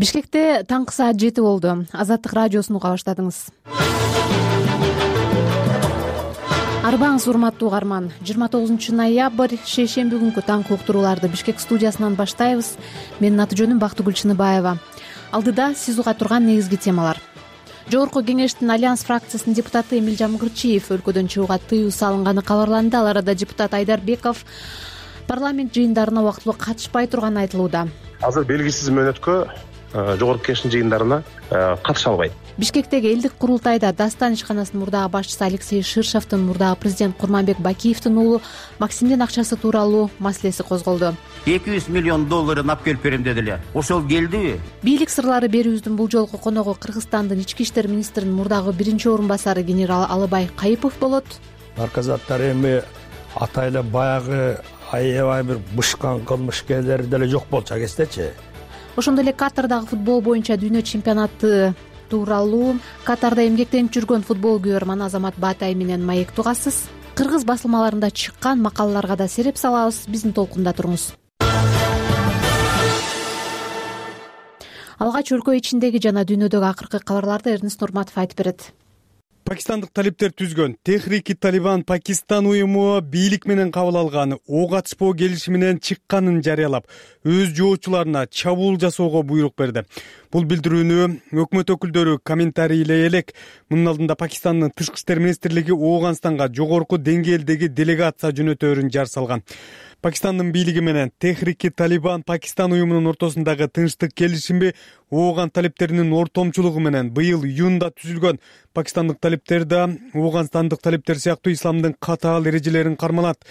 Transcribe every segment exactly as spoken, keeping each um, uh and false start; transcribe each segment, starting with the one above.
Бишкекте таңкы саат жети болду. Азаттык радиосун уга баштадыңыз. Арбаңыз урматтуу угарман. жыйырма тогузунчу ноябрь шейшемби күнкү таңкы уктурууларды Бишкек студиясынан баштайбыз. Менин аты жөнүм Бактыгүл Чыныбаева. Алдыда сиз уга турган негизги темалар. Жогорку кеңештин Альянс фракциясынын депутаты Эмилжан Кырчиев өлкөдөн чыгууга тыюу салынганы кабарланды. Ал арада депутат Айдарбеков парламент жыйындарына убактылуу катышпай турганы айтылууда. Азыр белгисиз мөөнөткө жогорку кеңештин жыйындарына катыша албайт. Бишкектеги элдик курултайда Дастан ишканасынын мурдагы башчысы Алексей Ширшовдун мурдагы президент Курманбек Бакиевдин уулу Максимдин акчасы тууралуу маселеси козголду. эки жүз миллион долларын алып келип берем деди эле. Ошол келдиби? Бийлик сырлары берүүбүздүн бул жолку коногу Кыргызстандын ички иштер министринин мурдагы биринчи орун басары генерал Алыбай Кайыпов болот. Наркозаттар эми атайла баягы аябай бир бышкан кылмышкерлер деле жок болчу кездечи. Ошондой эле Катардагы футбол боюнча дүйнө чемпионаты тууралуу Катарда эмгектенип жүргөн футболгүйөрман Азамат Баатай менен маек тугасыз. Кыргыз басылмаларында чыккан макалаларга да сереп салабыз. Биздин толкунда туруңуз. Алгач өлкө ичиндеги жана дүйнөдөгү акыркы кабарларды Эрнест Нурматов айтып берет. Пакистандык талиптер түзгөн Техрики Талибан Пакистан уюму бийлик менен кабыл алган ок атышпоо келишими менен чыкканын жарыялап, өз жоочуларына чабуул жасоого буйрук берди. Бул билдирүүнү өкмөт өкүлдөрү комментарийлей элек. Мунун алдында Пакистандын тышкы иштер министрлиги Ооганстанга жогорку деңгээлдеги делегация жөнөтөөрүн жар салган. Пакистандын бийлиги менен Техрики Талибан Пакистан уюмунун ортосундагы тынчтык келишими Ооган талиптеринин ортомчулугу менен быйыл июнда түзүлгөн. Пакистандык талиптер да Ооганстандык талиптер сыяктуу исламдын катаал эрежелерин карманат.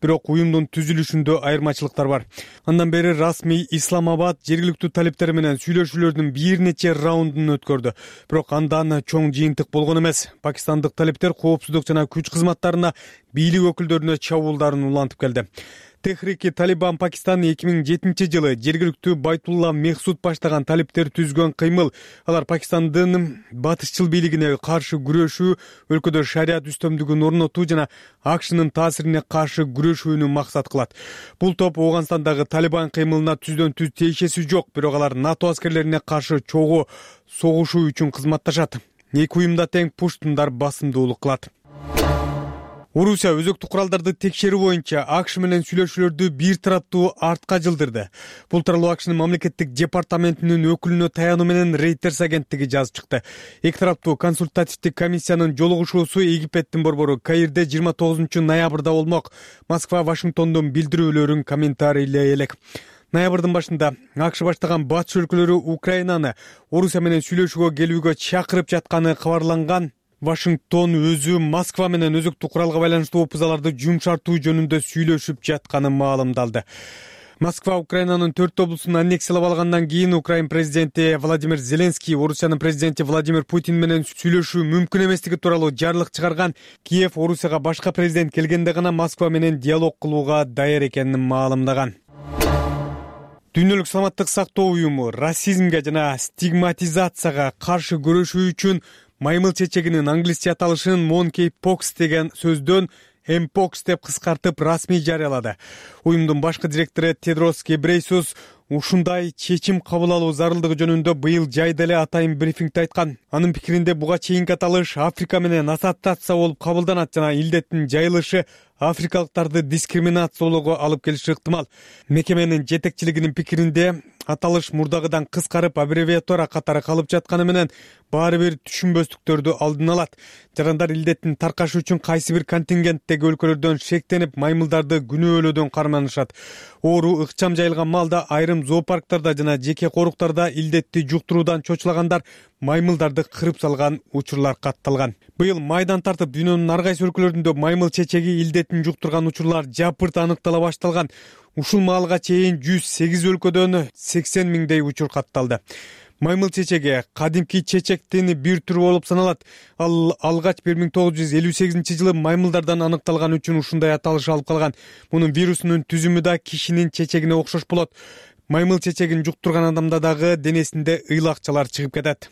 Бирок уюмдун түзүлүшүндө айырмачылыктар бар. Андан бери расмий Исламабад жергиликтүү талиптер менен сүйлөшүүлөрдүн бир нече раундун өткөрдү. Бирок андан чоң жыйынтык болгон эмес. Пакистандык талиптер коопсуздук жана күч кызматтарына бийлик өкүлдөрүнө чабуулдарын улантып келди. Техрики Талибан Пакистан эки миң жетинчи жылы жергиликтүү Байтулла Мехсуд баштаган талиптер түзгөн кыймыл. Алар Пакистандын батышчыл бийлигине каршы күрөшүү, өлкөдө шарият үстөмдүгүн орнотуу жана АКШнын таасирине каршы күрөшүүнү максат кылат. Бул топ Ооганстандагы Талибан кыймылына түздөн түз тиешеси жок, бирок алар НАТО аскерлерине каршы чогуу согушуу үчүн кызматташат. Эки уюмда тең пуштундар басымдуулук кылат. Орусия өзөктүк куралдарды текшерүү боюнча АКШ менен сүйлөшүүлөрдү бир тараптуу артка жылдырды. Бул тууралуу АКШнын мамлекеттик департаментинин өкүлүнө таянуу менен Reuters агенттиги жазып чыкты. Эки тараптуу консультативдик комиссиянын жолугушуусу Египеттин борбору Каирде жыйырма тогузунчу ноябрда болмок. Москва Вашингтондун билдирүүлөрүн комментарийлей элек. Ноябрдын башында АКШ баштаган батыш өлкөлөрү Украинаны Орусия менен сүйлөшүүгө келүүгө чакырып жатканы кабарланган. Вашингтон өзү Москва менен өзөктүк куралга байланыштуу опузаларды жумшартуу жөнүндө сүйлөшүп жатканын маалымдалды. Москва Украинанын төрт облусун аннексиялап алгандан кийин Украин президенти Владимир Зеленский Орусиянын президенти Владимир Путин менен сүйлөшүү мүмкүн эместиги тууралуу жарлык чыгарган. Киев Орусияга башка президент келгенде гана Москва менен диалог кылууга даяр экенин маалымдаган. Дүйнөлүк саламаттык сактоо уюму расизмге жана стигматизацияга каршы күрөшүү үчүн маймыл чечегинин англисче аталышын monkeypox деген сөздөн mpox деп кыскартып расмий жарыялады. Уюмдун башкы директору Тедрос Гебрейсус ушундай чечим кабыл алуу зарылдыгы жөнүндө быйыл жайда эле атайын брифингде айткан. Анын пикиринде буга чейинки аталыш Африка менен ассоциация болуп кабылданат жана илдеттин жайылышы африкалыктарды дискриминациялоого алып келиши ыктымал. Мекеменин жетекчилигинин пикиринде аталыш мурдагыдан кыскарып аббревиатура катары калып жатканы менен баары бир түшүнбөстүктөрдү алдын алат. Жарандар илдеттин таркашы үчүн кайсы бир контингенттеги өлкөлөрдөн шектенип маймылдарды күнөөлөөдөн карманышат. Оору ыкчам жайылган маалда айрым зоопарктарда жана жеке коруктарда илдетти жуктуруудан чочулагандар маймылдарды кырып салган учурлар катталган. Быйыл майдан тартып дүйнөнүн ар кайсы өлкөлөрүндө маймыл чечеги илдетин жуктурган учурлар жапырт аныктала башталган. Ушул маалга чейин жүз сегиз өлкөдөн сексен миңдей учур катталды. Маймыл чечеги кадимки чечектин бир түрү болуп саналат. Ал алгач бир миң тогуз жүз элүү сегизинчи жылы маймылдардан аныкталган үчүн ушундай аталыш алып калган. Мунун вирусунун түзүмү да кишинин чечегине окшош болот. Маймыл чечегин жуктурган адамда дагы денесинде ыйлакчалар чыгып кетет.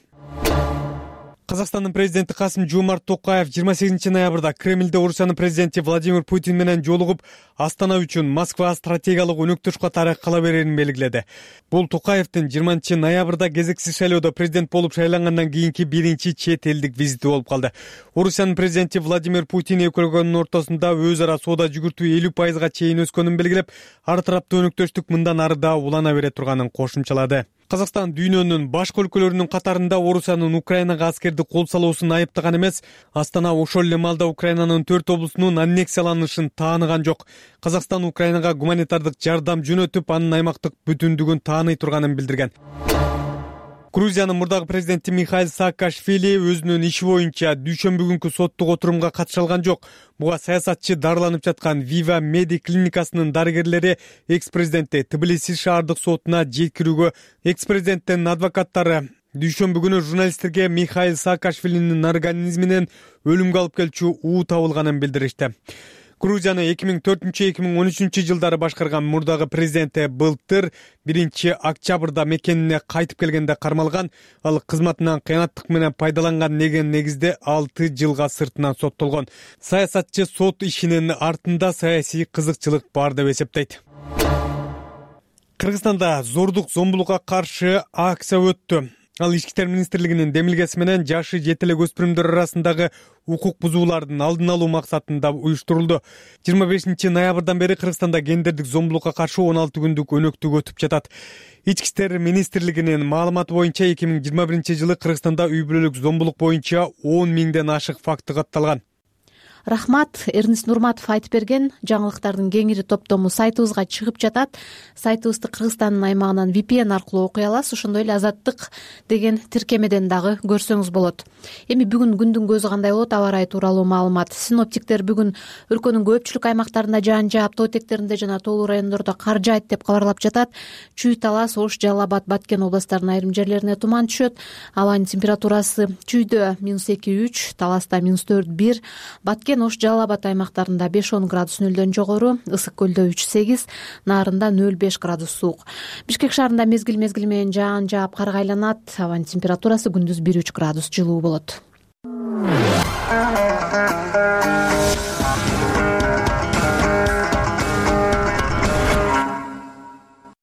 Казакстандын президенти Касым-Жомарт Токаев жыйырма сегизинчи ноябрда Кремльде Орусиянын президенти Владимир Путин менен жолугуп, Астана үчүн Москва стратегиялык өнөктөш катары кала берерин белгиледи. Бул Токаевдин жыйырманчы ноябрда кезексиз шайлоодо президент болуп шайлангандан кийинки биринчи чет элдик визити болуп калды. Орусиянын президенти Владимир Путин эки өлкөнүн ортосунда өз ара соода жүгүртүү элүү пайызга чейин өскөнүн белгилеп, ар тараптуу өнөктөштүк мындан ары да улана бере турганын кошумчалады. Казакстан дүйнөнүн башка өлкөлөрүнүн катарында Орусиянын Украинага аскерди кол салуусун айыптаган эмес, Астана ошол эле маалда Украинанын төрт облусунун аннексияланышын тааныган жок. Казакстан Украинага гуманитардык жардам жөнөтүп, анын аймактык бүтүндүгүн тааный турганын билдирген. Грузиянын мурдагы президенти Михаил Саакашвили өзүнүн иши боюнча дүйшөмбү күнкү соттук отурумга катыша алган жок. Буга саясатчы дарыланып жаткан Viva Medi клиникасынын дарыгерлери экс-президентти Тбилиси шаардык сотуна жеткирүүгө, экс-президенттин адвокаттары дүйшөмбү күнү журналисттерге Михаил Саакашвилинин организминен өлүмгө алып келчү уу табылганын билдиришти. Грузияны эки миң төртүнчү эки миң он үчүнчү жылдары башкарган мурдагы президенти былтыр биринчи октябрда мекенине кайтып келгенде кармалган. Ал кызматынан кыянаттык менен пайдаланган деген негизде алты жылга сыртынан соттолгон. Саясатчы сот ишинин артында саясий кызыкчылык бар деп эсептейт. Кыргызстанда зордук зомбулукка каршы акция өттү. Ал Ички иштер министрлигинин демилгеси менен жашы жете элек өспүрүмдөр арасындагы укук бузуулардын алдын алуу максатында уюштурулду. жыйырма бешинчи ноябрдан бери Кыргызстанда гендердик зомбулукка каршы он алты күндүк өнөктүк өтүп жатат. Ички иштер министрлигинин маалыматы боюнча эки миң жыйырма биринчи жылы Кыргызстанда үй бүлөлүк зомбулук боюнча он миңден ашык факты катталган. Рахмат, Эрнис Нурматов айтып берген. Жаңылыктардын кеңири топтому сайтыбызга чыгып жатат. Сайтыбызды Кыргызстандын аймагынан ви пи эн аркылуу окуй аласыз. Ошондой эле Азаттык деген тиркемеден дагы көрсөңүз болот. Эми бүгүн күндүн көзү кандай болот? Аба ырайы тууралуу маалымат. Синоптиктер бүгүн өлкөнүн көпчүлүк аймактарында жаан жаап, тоо этектеринде жана тоолуу райондордо кар жаайт деп кабарлап жатат. Чүй, Талас, Ош, Жалал Абад, Баткен областарынын айрым жерлерине туман түшөт. Абанын температурасы Чүйдө минус эки үч, Таласта минус төрт бир, Баткен, Ош, Жалал Абад аймактарында беш он градус нөлдөн жогору, Ысык көлдө үч сегиз, Нарында нөл беш градус суук. Бишкек шаарында мезгил мезгили менен жаан жаап карга айланат. Абанын температурасы күндүз бир үч градус жылуу болот.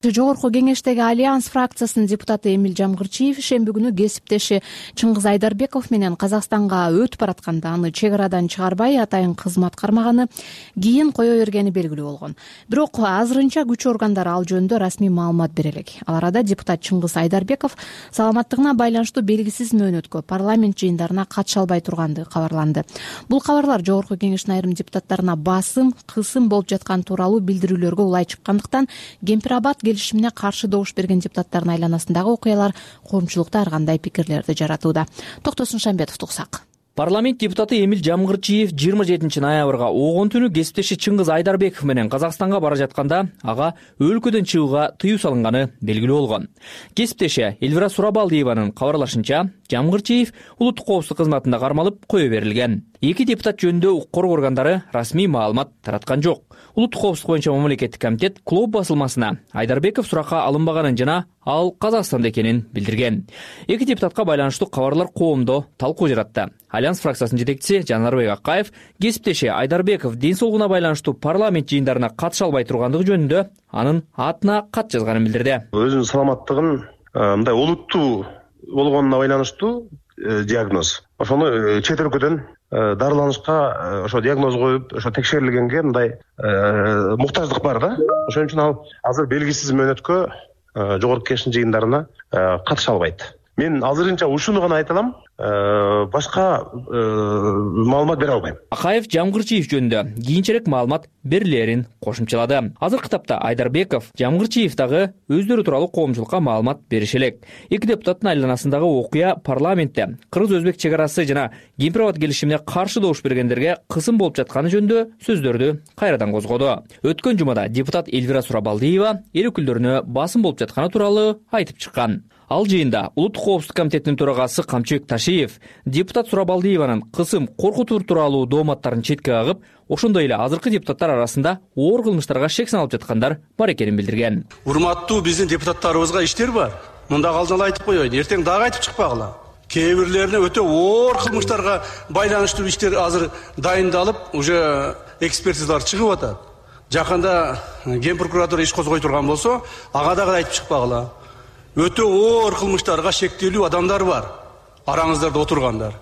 Жогорку кеңештеги Альянс фракциясынын депутаты Эмил Жамгырчиев шемби күнү кесиптеши Чыңгыз Айдарбеков менен Казакстанга өтүп баратканда аны чек арадан чыгарбай атайын кызмат кармаганы, кийин кое бергени белгилүү болгон. Бирок азырынча күч органдары ал жөнүндө расмий маалымат бере элек. Ал арада депутат Чыңгыз Айдарбеков саламаттыгына байланыштуу белгисиз мөөнөткө парламент жыйындарына катыша албай тургандыгы кабарланды. Бул кабарлар жогорку кеңештин айрым депутаттарына басым, кысым болуп жаткан тууралуу билдирүүлөргө улай чыккандыктан Кемпир-Абад келишимине каршы добуш берген депутаттардын айланасындагы окуялар коомчулукта ар кандай пикирлерди жаратууда. Токтосун Шамбетовду уксак. Парламент депутаты Эмил Жамгырчиев жыйырма жетинчи ноябрга огон түнү кесиптеши Чыңгыз Айдарбеков менен Казакстанга бара жатканда ага өлкөдөн чыгууга тыюу салынганы белгилүү болгон. Кесиптеши Эльвира Сурабалдиеванын кабарлашынча, Жамгырчиев улуттук коопсуздук кызматында кармалып кое берилген. Эки депутат жөнүндө укук коргоо органдары расмий маалымат тараткан жок. Улуттук коопсуздук боюнча мамлекеттик комитет клуб басылмасына Айдарбеков суракка алынбаганын жана ал Казакстанда экенин билдирген. Эки депутатка байланыштуу кабарлар коомдо талкуу жаратты. Альянс фракциясынын жетекчиси Жанарбек Акаев кесиптеши Айдарбеков ден соолугуна байланыштуу парламент жыйындарына катыша албай тургандыгы жөнүндө анын атына кат жазганын билдирди. Өзүнүн саламаттыгын мындай олуттуу болгонуна байланыштуу диагноз. Ошону чет өлкөдөн дарыланышка ошо диагноз коюп, ошо текшерилгенге мындай муктаждык бар да. Ошон үчүн ал азыр белгисиз мөөнөткө жогорку кеңештин жыйындарына катыша албайт. Мен азырынча ушуну гана айта алам, башка маалымат бере албайм. Акаев Жамгырчиев жөнүндө кийинчерээк маалымат берилерин кошумчалады. Азыркы тапта Айдарбеков, Жамгырчиев дагы өздөрү тууралуу коомчулукка маалымат бериши элек. Эки депутаттын айланасындагы окуя парламентте кыргыз-өзбек чек арасы жана Кемпир-Абад келишимине каршы добуш бергендерге кысым болуп жатканы жөнүндө сөздөрдү кайрадан козгоду. Өткөн жумада депутат Эльвира Сурабалдиева эл өкүлдөрүнө басым болуп жатканы тууралуу айтып чыккан. Ал жыйында улуттук коопсуздук комитетинин төрагасы Камчыбек Ташиев депутат Сурабалдиеванын кысым коркутуу тууралуу дооматтарын четке кагып, ошондой эле азыркы депутаттар арасында оор кылмыштарга шек саналып жаткандар бар экенин билдирген. Урматтуу биздин депутаттарыбызга иштер бар. Мында калжыңла айтып коеюн, эртең дагы айтып чыкпагыла. кээ бирлерине өтө оор кылмыштарга байланыштуу иштер азыр дайындалып, уже экспертизалар чыгып атат. Жакында Ген прокуратура иш козгой турган болсо, ага дагы айтып чыкпагыла. Өтө оор кылмыштарга шектелүү адамдар бар. Араңыздарда отургандар.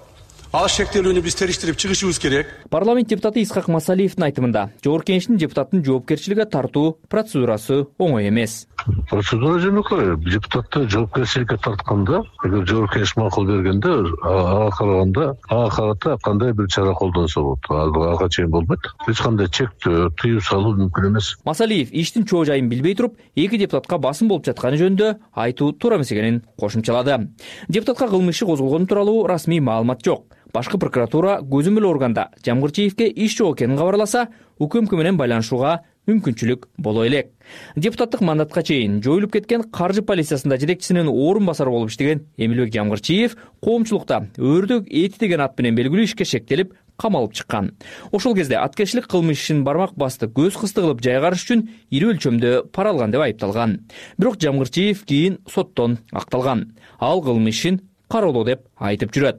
Ал шектелүүнү биз териштирип чыгышыбыз керек. Парламент депутаты Исхак Масалиевдин айтымында, Жогорку Кеңештин депутаттын жоопкерчиликке тартуу процедурасы оңой эмес. Процедура жөнөкөй. Депутатты жоопкерчиликке тартканда, эгер Жогорку Кеңеш макул бергенде, ага караганда, ага карата кандай бир чара колдонсо болот. Ага чейин болбойт. Эч кандай чектөө, тыюу салуу мүмкүн эмес. Масалиев иштин чоо жайын билбей туруп, эки депутатка басым болуп жатканы жөнүндө айтуу туура эмес экенин кошумчалады. Депутатка кылмыш иши козголгону тууралуу расмий маалымат жок. Башкы прокуратура көзөмөл органда Жамгырчиевке иш жок экенин кабарласа, УКМК менен байланышууга мүмкүнчүлүк боло элек. Депутаттык мандатка чейин жоюлуп кеткен каржы полициясында жетекчисинин орун басары болуп иштеген Эмилбек Жамгырчиев коомчулукта өрдөк эти деген ат менен белгилүү ишке шектелип, камалып чыккан. Ошол кезде аткерчилик кылмыш ишин бармак басты көз кысты кылып жайгарыш үчүн ири өлчөмдө пара алган деп айыпталган. Бирок Жамгырчиев кийин соттон акталган. Ал кылмыш ишин кароолоо деп айтып жүрөт.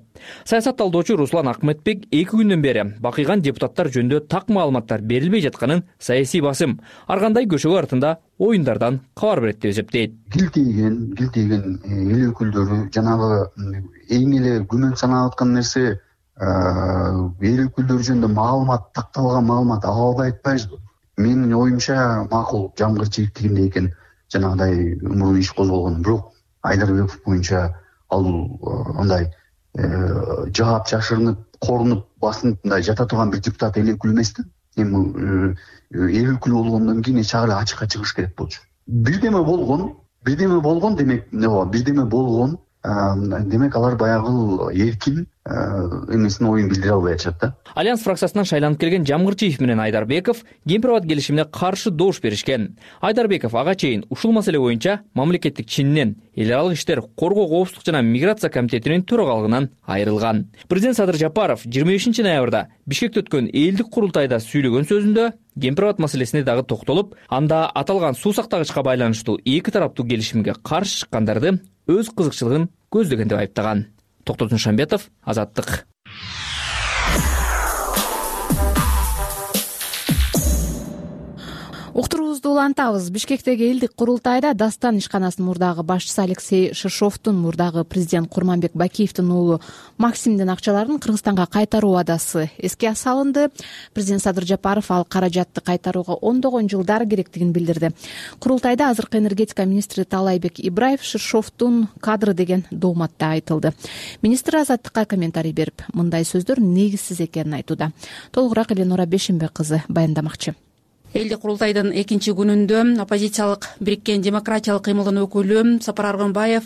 Саясат талдоочу Руслан Акметбек эки күндөн бери бакыйган депутаттар жөнүндө так маалыматтар берилбей жатканын саясий басым, ар кандай көчөгө артында оюндардан кабар берет деп эсептейт. Гилтейген, гилтейген эл өкүлдөрү жанагы эң эле күмөн саналып аткан нерсе эл өкүлдөрү жөнүндө маалымат, такталган маалымат ала албай атпайбызбы? Менин оюмча макул Жамгырчиев тигиндей экен, жанагыдай умуру иш козголгон. Бирок Айдарбеков боюнча ал андай жаап жашырынып, корунуп, басынып мындай жата турган бир депутат эл өкүлү эмес да. Эми эл өкүлү болгондон кийин эч ары ачыкка чыгыш керек болчу. Бирдеме болгон, бирдеме болгон демек эмне болот? Бирдеме болгон, демек алар баягы эркин эмесин оюн билдире албай атышат да. Альянс фракциясынан шайланып келген Жамгырчиев менен Айдарбеков Кемпир-Абад келишимине каршы добуш беришкен. Айдарбеков ага чейин ушул маселе боюнча мамлекеттик чиннен эл аралык иштер, коргоо, коопсуздук жана миграция комитетинин төрагалыгынан айрылган. Президент Садыр Жапаров жыйырма бешинчи ноябрда Бишкекте өткөн элдик курултайда сүйлөгөн сөзүндө Кемпир-Абад маселесине дагы токтолуп, анда аталган суу сактагычка байланыштуу эки тараптуу келишимге каршы чыккандарды өз кызыкчылыгын көздөгөн деп айыптаган. Токтор Душанбетов, Азаттык. Уктуруубузду улантабыз. Бишкектеги элдик курултайда Дастан ишканасынын мурдагы башчысы Алексей Шишовдун мурдагы президент Курманбек Бакиевдин уулу Максимдин акчаларын Кыргызстанга кайтаруу убадасы эске салынды. Президент Садыр Жапаров ал каражатты кайтарууга ондогон жылдар керектигин билдирди. Курултайда азыркы энергетика министри Таалайбек Ибраев Шишовдун кадры деген дооматта айтылды. Министр Азаттыкка комментарий берип, мындай сөздөр негизсиз экенин айтууда. Толугураак Эленора Бешенбек кызы баяндамакчы. Элдик курултайдын экинчи күнүндө оппозициялык бириккен демократиялык кыймылдын өкүлү Сапар Аргынбаев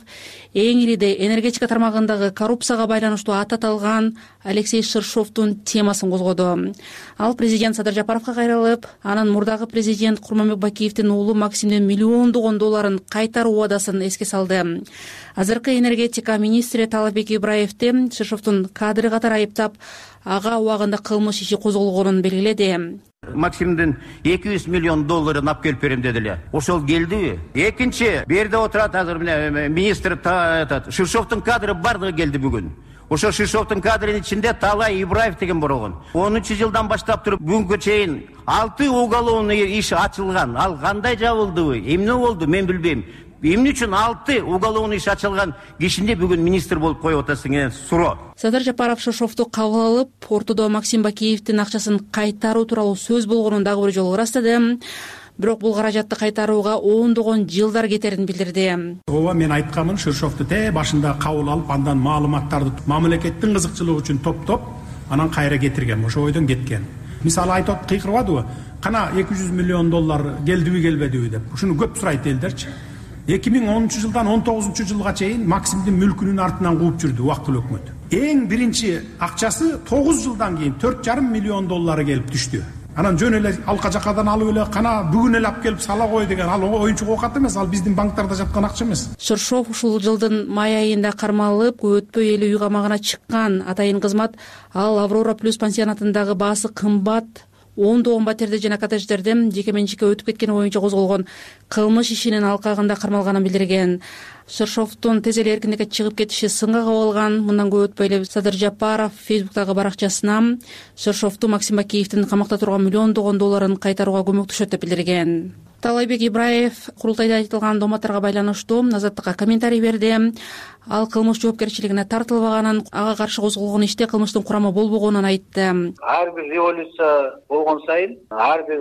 эң ириде энергетика тармагындагы коррупцияга байланыштуу ат аталган Алексей Шишовдун темасын козгоду. Ал президент Садыр Жапаровго кайрылып, анын мурдагы президент Курманбек Бакиевдин уулу Максимдин миллиондогон долларын кайтаруу убадасын эске салды. Азыркы энергетика министри Таалайбек Ибраевди Шишовдун кадры катары айыптап, ага убагында кылмыш иши козголгонун белгиледи. Максимдин эки жүз миллион долларын алып келип берем деди эле. Ошол келдиби? Экинчи, бу жерде отурат азыр мына министр Шишовдун кадры бардыгы келди бүгүн. Ошо Шишовдун кадрынын ичинде Таалай Ибраев деген болгон. онунчу жылдан баштап туруп бүгүнкү чейин алты уголовный иш ачылган. Ал кандай жабылдыбы? Эмне болду? Мен билбейм. Эмне үчүн алты уголовный иш ачылган кишинде бүгүн министр болуп коюп атасың деген суроо. Садыр Жапаров Шишовду кабыл алып, ортодо Максим Бакиевдин акчасын кайтаруу тууралуу сөз болгонун дагы бир жолу ырастады. Бирок бул каражатты кайтарууга ондогон жылдар кетерин билдирди. Ооба, мен айтканмын, Шишовду те башында кабыл алып, андан маалыматтарды мамлекеттин кызыкчылыгы үчүн топтоп, анан кайра кетирген, ошо ойдон кеткен. Мисалы айтып кыйкырбадыбы? Кана эки жүз миллион доллар келдиби, келбедиби деп. Ушуну көп сурайт элдерчи. эки миң онунчу жылдан он тогузунчу жылга чейин Максимдин мүлкүнүн артынан кууп жүрдү убактылуу өкмөт. Эң биринчи акчасы тогуз жылдан кийин төрт жарым миллион доллары келип түштү. Анан жөн эле алка жакадан алып эле кана бүгүн эле алып келип сала кой деген, ал оюнчук оокат эмес, ал биздин банктарда жаткан акча эмес. Шишов ушул жылдын май айында кармалып, өтпөй эле үй камагына чыккан. Атайын кызмат ал Аврора плюс пансионатындагы баасы кымбат ондогон патерде жана коттедждерде жеке менчикке өтүп кеткени боюнча козголгон кылмыш ишинин алкагында кармалганын билдирген. Шершовдун тез эле эркиндикке чыгып кетиши сынга кабылган. Мындан көп өтпөй эле Садыр Жапаров Фейсбуктагы баракчасына Шершовду Максим Бакиевдин камакта турган миллиондогон долларын кайтарууга көмөктөшөт деп билдирген. Таалайбек Ибраев курултайда айтылган дооматтарга байланыштуу Азаттыкка комментарий берди. Ал кылмыш жоопкерчилигине тартылбаганын, ага каршы козголгон иште кылмыштын курамы болбогонун айтты. Ар бир революция болгон сайын ар бир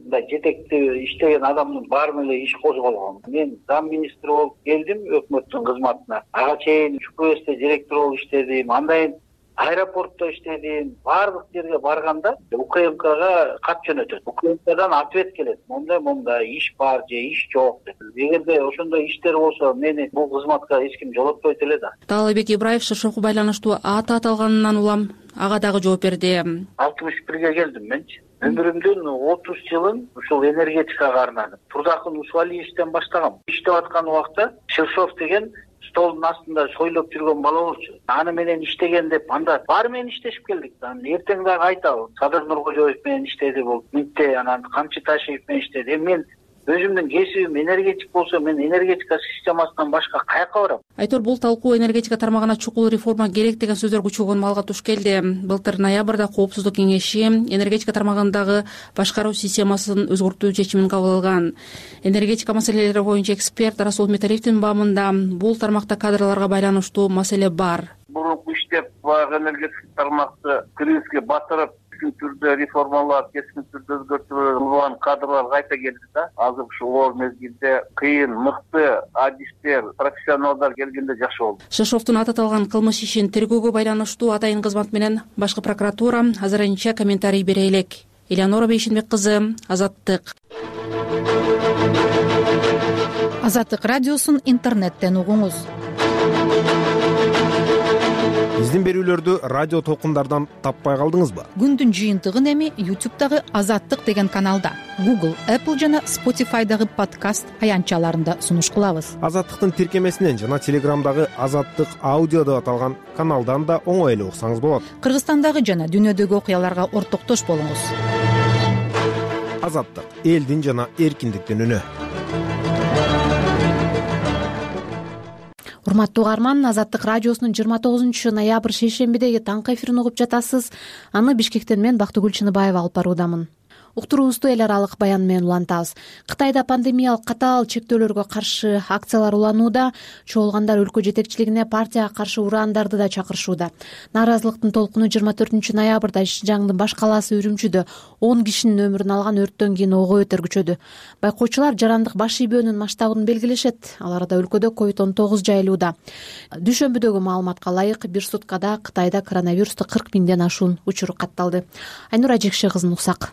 мындай жетекти иштеген адамдын баарына эле иш козголгон. Мен зам министр болуп келдим өкмөттүн кызматына. Ага чейин ЧКСте директор болуп иштедим. Андан аэропортто иштедим. Баардык жерге барганда УКМКга кат жөнөтөт. УКМКдан ответ келет. Мондай мондай иш бар же иш жок деп. Эгерде ошондой иштер болсо, мени бул кызматка эч ким жолотпойт эле да. Таалайбек Ибраев Шершовго байланыштуу аты аталганынан улам ага дагы жооп берди. алтымыш бирге келдим менчи. Өмүрүмдүн отуз жылын ушул энергетикага арнадым. Турдакын Усвалиевден баштагам. Иштеп аткан убакта Шершов деген столдун астында сойлоп жүргөн бала болчу. Аны менен иштеген деп анда баары менен иштешип келдик. Анан эртең дагы айтабы. Садыр Нуркожоев менен иштеди бул. Митте анан Камчы Ташиев менен иштеди. Мен өзүмдүн кесибим энергетик болсо, мен энергетика системасынан башка каяка барам? Айтор бул талкуу энергетика тармагына чукул реформа керек деген сөздөр күчөгөн маалга туш келди. Былтыр ноябрда Коопсуздук кеңеши энергетика тармагындагы башкаруу системасын өзгөртүү чечимин кабыл алган. Энергетика маселелери боюнча эксперт Расул Металиевдин баамында бул тармакта кадрларга байланыштуу маселе бар. Мурунку иштеп баягы энергетика тармакты кризиске батырып, кескен түрдө реформалар, кескен түрдө өзгөртүүлөр кадрлар кайта келди да. Азыр ушул оор мезгилде кыйын, мыкты адистер, профессионалдар келгенде жакшы болду. Шершовдун аты аталган кылмыш ишин тергөөгө байланыштуу атайын кызмат менен башкы прокуратура азырынча комментарий бере элек. Элеонора Бейшенбек кызы, Азаттык. Азаттык радиосун интернеттен угуңуз. Биздин берүүлөрдү радио толкундардан таппай калдыңызбы? Күндүн жыйынтыгын эми YouTube'дагы Азаттык деген каналда, Google, Apple жана Spotify'дагы подкаст аянтчаларында сунуш кылабыз. Азаттыктын тиркемесинен жана Телеграмдагы Азаттык аудио деп аталган каналдан да оңой эле уксаңыз болот. Кыргызстандагы жана дүйнөдөгү окуяларга ортоктош болуңуз. Азаттык — элдин жана эркиндиктин үнү. Урматтуу угарман, Азаттык радиосунун жыйырма тогузунчу ноябрь шейшембидеги таңкы эфирин угуп жатасыз. Аны Бишкектен мен Бактыгүл Чыныбаева алып баруудамын. Уктуруубузду эл аралык баян менен улантабыз. Кытайда пандемиялык катаал чектөөлөргө каршы акциялар уланууда, чогулгандар өлкө жетекчилигине партияга каршы ураандарды да чакырышууда. Нааразылыктын толкуну жыйырма төртүнчү ноябрда Шинжаңдын баш калаасы Үрүмчүдө он кишинин өмүрүн алган өрттөн кийин ого бетер күчөдү. Байкоочулар жарандык баш ийбөөнүн масштабын белгилешет. Аларда өлкөдө ковид он тогуз жайылууда. Дүйшөмбүдөгү маалыматка ылайык, бир суткада Кытайда коронавирусту кырк миңден ашуун учур катталды. Айнура Жекше кызын уксак.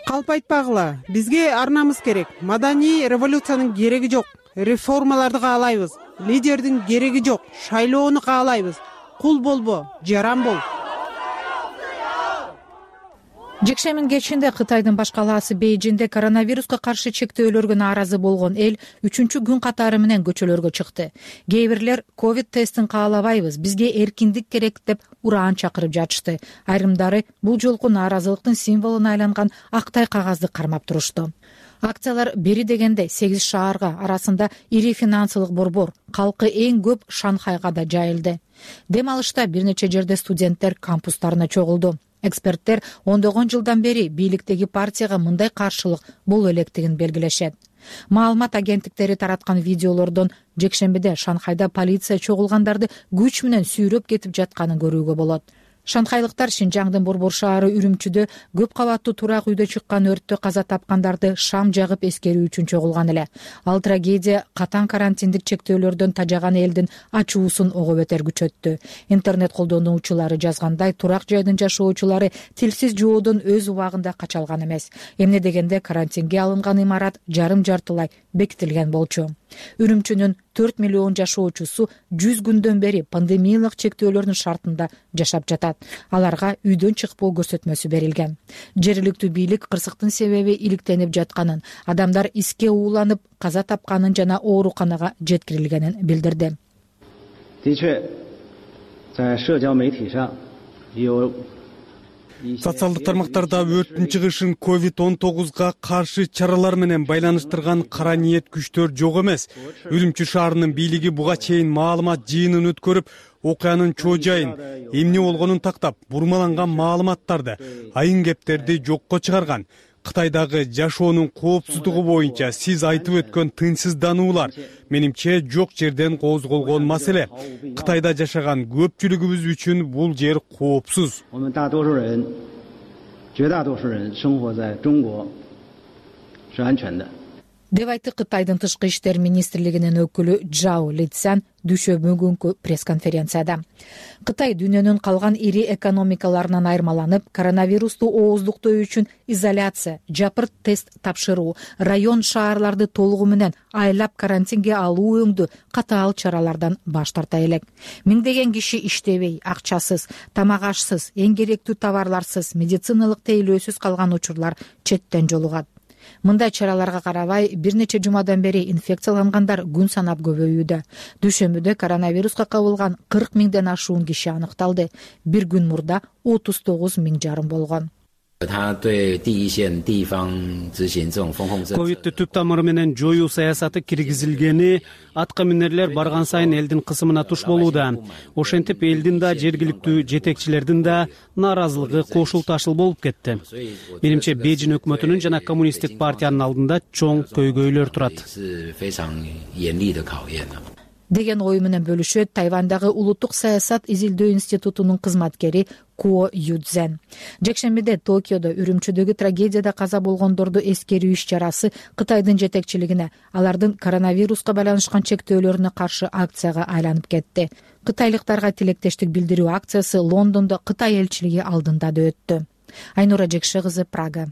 Калп айтпагыла, бизге арнамыз керек. Маданий революциянын кереги жок. Реформаларды каалайбыз. Лидердин кереги жок. Шайлоону каалайбыз. Кул болбо, жаран бол. Жекшембинин кечинде Кытайдын баш калаасы Бейжиңде коронавируска каршы чектөөлөргө нааразы болгон эл үчүнчү күн катары менен көчөлөргө чыкты. Кээ бирлер ковид тестин каалабайбыз, бизге эркиндик керек деп ураан чакырып жатышты. Айрымдары бул жолку нааразылыктын символуна айланган актай кагазды кармап турушту. Акциялар бери дегенде сегиз шаарга, арасында ири финансылык борбор, калкы эң көп Шанхайга да жайылды. Дем алышта бир нече жерде студенттер кампустарына чогулду. Эксперттер ондогон жылдан бери бийликтеги партияга мындай каршылык боло электигин белгилешет. Маалымат агенттиктери тараткан видеолордон жекшембиде Шанхайда полиция чогулгандарды күч менен сүйрөп кетип жатканын көрүүгө болот. Шанхайлыктар Шинжаңдын борбор шаары Үрүмчүдө көп кабаттуу турак үйдө чыккан өрттө каза тапкандарды шам жагып эскерүү үчүн чогулган эле. Ал трагедия катаң карантиндик чектөөлөрдөн тажаган элдин ачуусун ого бетер күчөттү. Интернет колдонуучулары жазгандай, турак жайдын жашоочулары тилсиз жоодон өз убагында кача алган эмес. Эмне дегенде карантинге алынган имарат жарым жартылай бекитилген болчу. Үрүмчүнүн төрт миллион жашоочусу жүз күндөн бери пандемиялык чектөөлөрдүн шартында жашап жатат. Аларга үйдөн чыкпоо көрсөтмөсү берилген. Жергиликтүү бийлик кырсыктын себеби иликтенип жатканын, адамдар иске ууланып каза тапканын жана ооруканага жеткирилгенин билдирди. 的确在社交媒体上有социалдык тармактарда өрттүн чыгышын ковид он тогузга каршы чаралар менен байланыштырган кара ниет күчтөр жок эмес. Үрүмчү шаарынын бийлиги буга чейин маалымат жыйынын өткөрүп, окуянын чоо жайын, эмне болгонун тактап, бурмаланган маалыматтарды, айын кептерди жокко чыгарган. Кытайдагы жашоонун коопсуздугу боюнча сиз айтып өткөн тынчсыздануулар менимче жок жерден козголгон маселе. Кытайда жашаган көпчүлүгүбүз үчүн бул жер коопсуз. деп айтты Кытайдын тышкы иштер министрлигинин өкүлү Жао Лицян дүйшөмбү күнкү пресс-конференцияда. Кытай дүйнөнүн калган ири экономикаларынан айырмаланып, коронавирусту ооздуктоо үчүн изоляция, жапырт тест тапшыруу, район шаарларды толугу менен айлап карантинге алуу өңдүү катаал чаралардан баш тарта элек. Миңдеген киши иштебей, акчасыз, тамак ашсыз, эң керектүү товарларсыз, медициналык тейлөөсүз калган учурлар четтен жолугат. Мындай чараларга карабай, бир нече жумадан бери инфекциялангандар күн санап көбөйүүдө. Дүйшөмбүдө коронавируска кабылган кырк миңден ашуун киши аныкталды. Бир күн мурда отуз тогуз миң жарым болгон. ковидти түп тамыры менен жоюу саясаты киргизилгени атка минерлер барган сайын элдин кысымына туш болууда. Ошентип элдин да жергиликтүү жетекчилердин да нааразылыгы кошул ташыл болуп кетти. Менимче Бейжин өкмөтүнүн жана коммунисттик партиянын алдында чоң көйгөйлөр турат деген ой менен бөлүшөт Тайвандагы улуттук саясат изилдөө институтунун кызматкери Ко Юдзен. Жекшембиде Токиодо Үрүмчүдөгү трагедияда каза болгондорду эскерүү иш чарасы Кытайдын жетекчилигине алардын коронавируска байланышкан чектөөлөрүнө каршы акцияга айланып кетти. Кытайлыктарга тилектештик билдирүү акциясы Лондондо Кытай элчилиги алдында да өттү. Айнура Жекше кызы, Прага.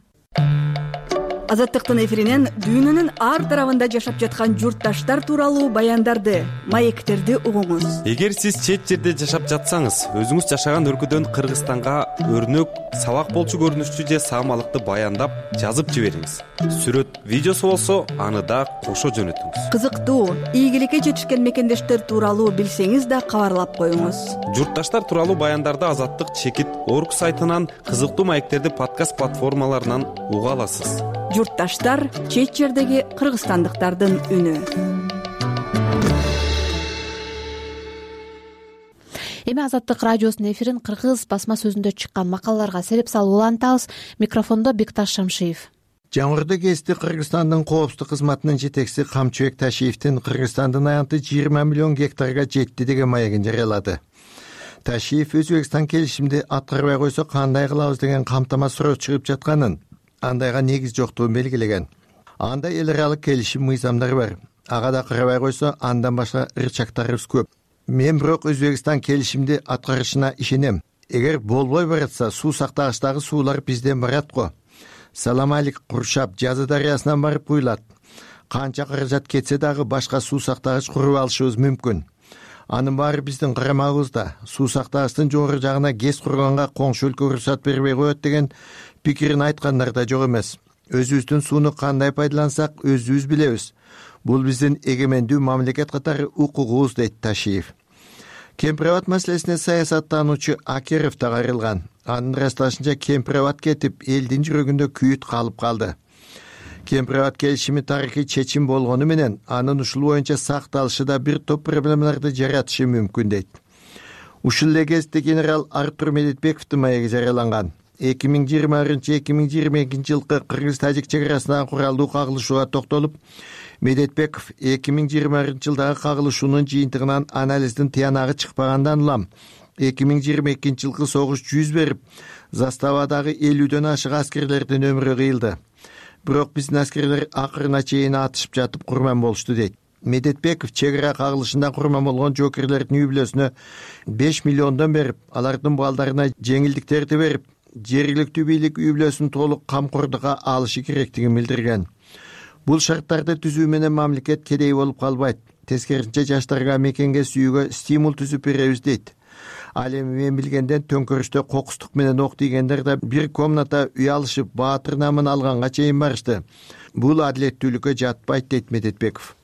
Азаттыктын эфиринен дүйнөнүн ар тарабында жашап жаткан журтташтар тууралуу баяндарды, маектерди угуңуз. Эгер сиз чет жерде жашап жатсаңыз, өзүңүз жашаган өлкөдөн Кыргызстанга өрнөк, сабак болчу көрүнүштүү же саамалыкты баяндап жазып жибериңиз. Сүрөт, видеосу болсо, аны да кошо жөнөтүңүз. Кызыктуу, ийгиликке жетишкен мекендештер тууралуу билсеңиз да кабарлап коюңуз. Журтташтар тууралуу баяндарды Азаттык чекит орг сайтынан, кызыктуу маектерди подкаст платформаларынан уга аласыз. Журтташтар — чет жердеги кыргызстандыктардын үнү. Эми Азаттык радиосунун эфирин кыргыз басма сөзүндө чыккан макалаларга сереп салып улантабыз. Микрофондо Бекташ Шамшиев. Жаңырды кести Кыргызстандын коопсуздук кызматынын жетекчиси Камчыбек Ташиевдин Кыргызстандын аянты жыйырма миллион гектарга жетти деген маегин жарыялады. Ташиев Өзбекстан келишимди аткарбай койсо кандай кылабыз деген камтама суроо чыгып жатканын, андайга негиз жоктугун белгилеген. Анда эл аралык келишим мыйзамдары бар. Ага да карабай койсо андан башка ырчактарыбыз көп. Мен бирок Өзбекстан келишимди аткарышына ишенем. Эгер болбой баратса, суу сактагычтагы суулар бизден барат го. Саламалик, Куршап, Жазы дарыясынан барып куюлат. Канча каражат кетсе дагы башка суу сактагыч куруп алышыбыз мүмкүн. Анын баары биздин карамагыбызда. Суу сактагычтын жогору жагына ГЭС курганга коңшу өлкө уруксат бербей коет деген пикирин айткандар да жок эмес. Өзүбүздүн сууну кандай пайдалансак, өзүбүз билебиз. Бул биздин эгемендүү мамлекет катары укугубуз, дейт Ташиев. Кемпир-абад маселесине саясаттануучу Акеров да кайрылган. Анын ырасташынча Кемпир-абад кетип, элдин жүрөгүндө күйүт калып калды. Кемпир-абад келишими тарыхый чечим болгону менен, анын ушул боюнча сакталышы да бир топ проблемаларды жаратышы мүмкүн, дейт. Ушул эле кезде генерал Артур Медетбековдун маеги жарыяланган. эки миң жыйырманчы — эки миң жыйырма экинчи жылкы кыргыз-тажик чек арасындагы куралдуу кагылышууга токтолуп, Медетбеков эки миң жыйырманчы жылдагы кагылышуунун жыйынтыгынан анализдин тыянагы чыкпагандан улам эки миң жыйырма экинчи жылкы согуш жүз берип, заставадагы элүүдөн ашык аскерлердин өмүрү кыйылды. Бирок биздин аскерлер акырына чейин атышып жатып курман болушту, дейт. Медетбеков чек ара кагылышында курман болгон жоокерлердин үй бүлөсүнө беш миллиондон берип, алардын балдарына жеңилдиктерди берип, жергиликтүү бийлик үй бүлөсүн толук камкордукка алышы керектигин билдирген. Бул шарттарды түзүү менен мамлекет кедей болуп калбайт. Тескерисинче жаштарга мекенге сүйүүгө стимул түзүп беребиз, дейт. Ал эми мен билгенден төңкөрүштө кокустук менен ок тийгендер да бир комната үй алышып, баатыр намын алганга чейин барышты. Бул адилеттүүлүккө жатпайт, дейт Медетбеков.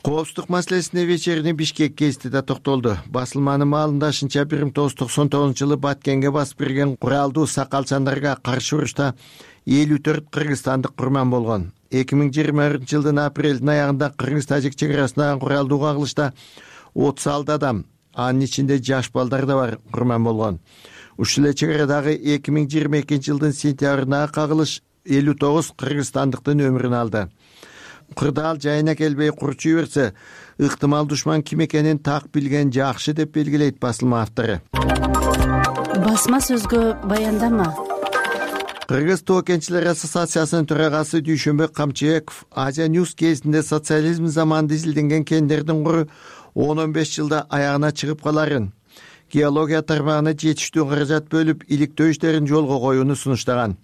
Коопсуздук маселесине вечерний Бишкек гезити да токтолду. Басылманын маалындашынча бир миң тогуз жүз токсон тогузунчу жылы Баткенге басып кирген куралдуу сакалчандарга каршы урушта элүү төрт кыргызстандык курман болгон. эки миң жыйырма биринчи жылдын апрелдин аягында кыргыз-тажик чек арасындагы куралдуу кагылышта отуз алты адам, анын ичинде жаш балдар да бар, курман болгон. Ушул эле чек арадагы эки миң жыйырма экинчи жылдын сентябрындагы кагылыш элүү тогуз кыргызстандыктын өмүрүн алды. Кырдаал жайына келбей курчуй берсе, ыктымал душман ким экенин так билген жакшы деп белгилейт басылма автору. Басма сөзгө баяндама. Кыргыз тоо кенчилер ассоциациясынын төрагасы Дүйшөнбек Камчыбеков Азия Ньюс кезинде социализм заманында изилденген кендердин куру он он беш жылда аягына чыгып каларын, геология тармагына жетиштүү каражат бөлүп иликтөө иштерин жолго коюуну сунуштаган.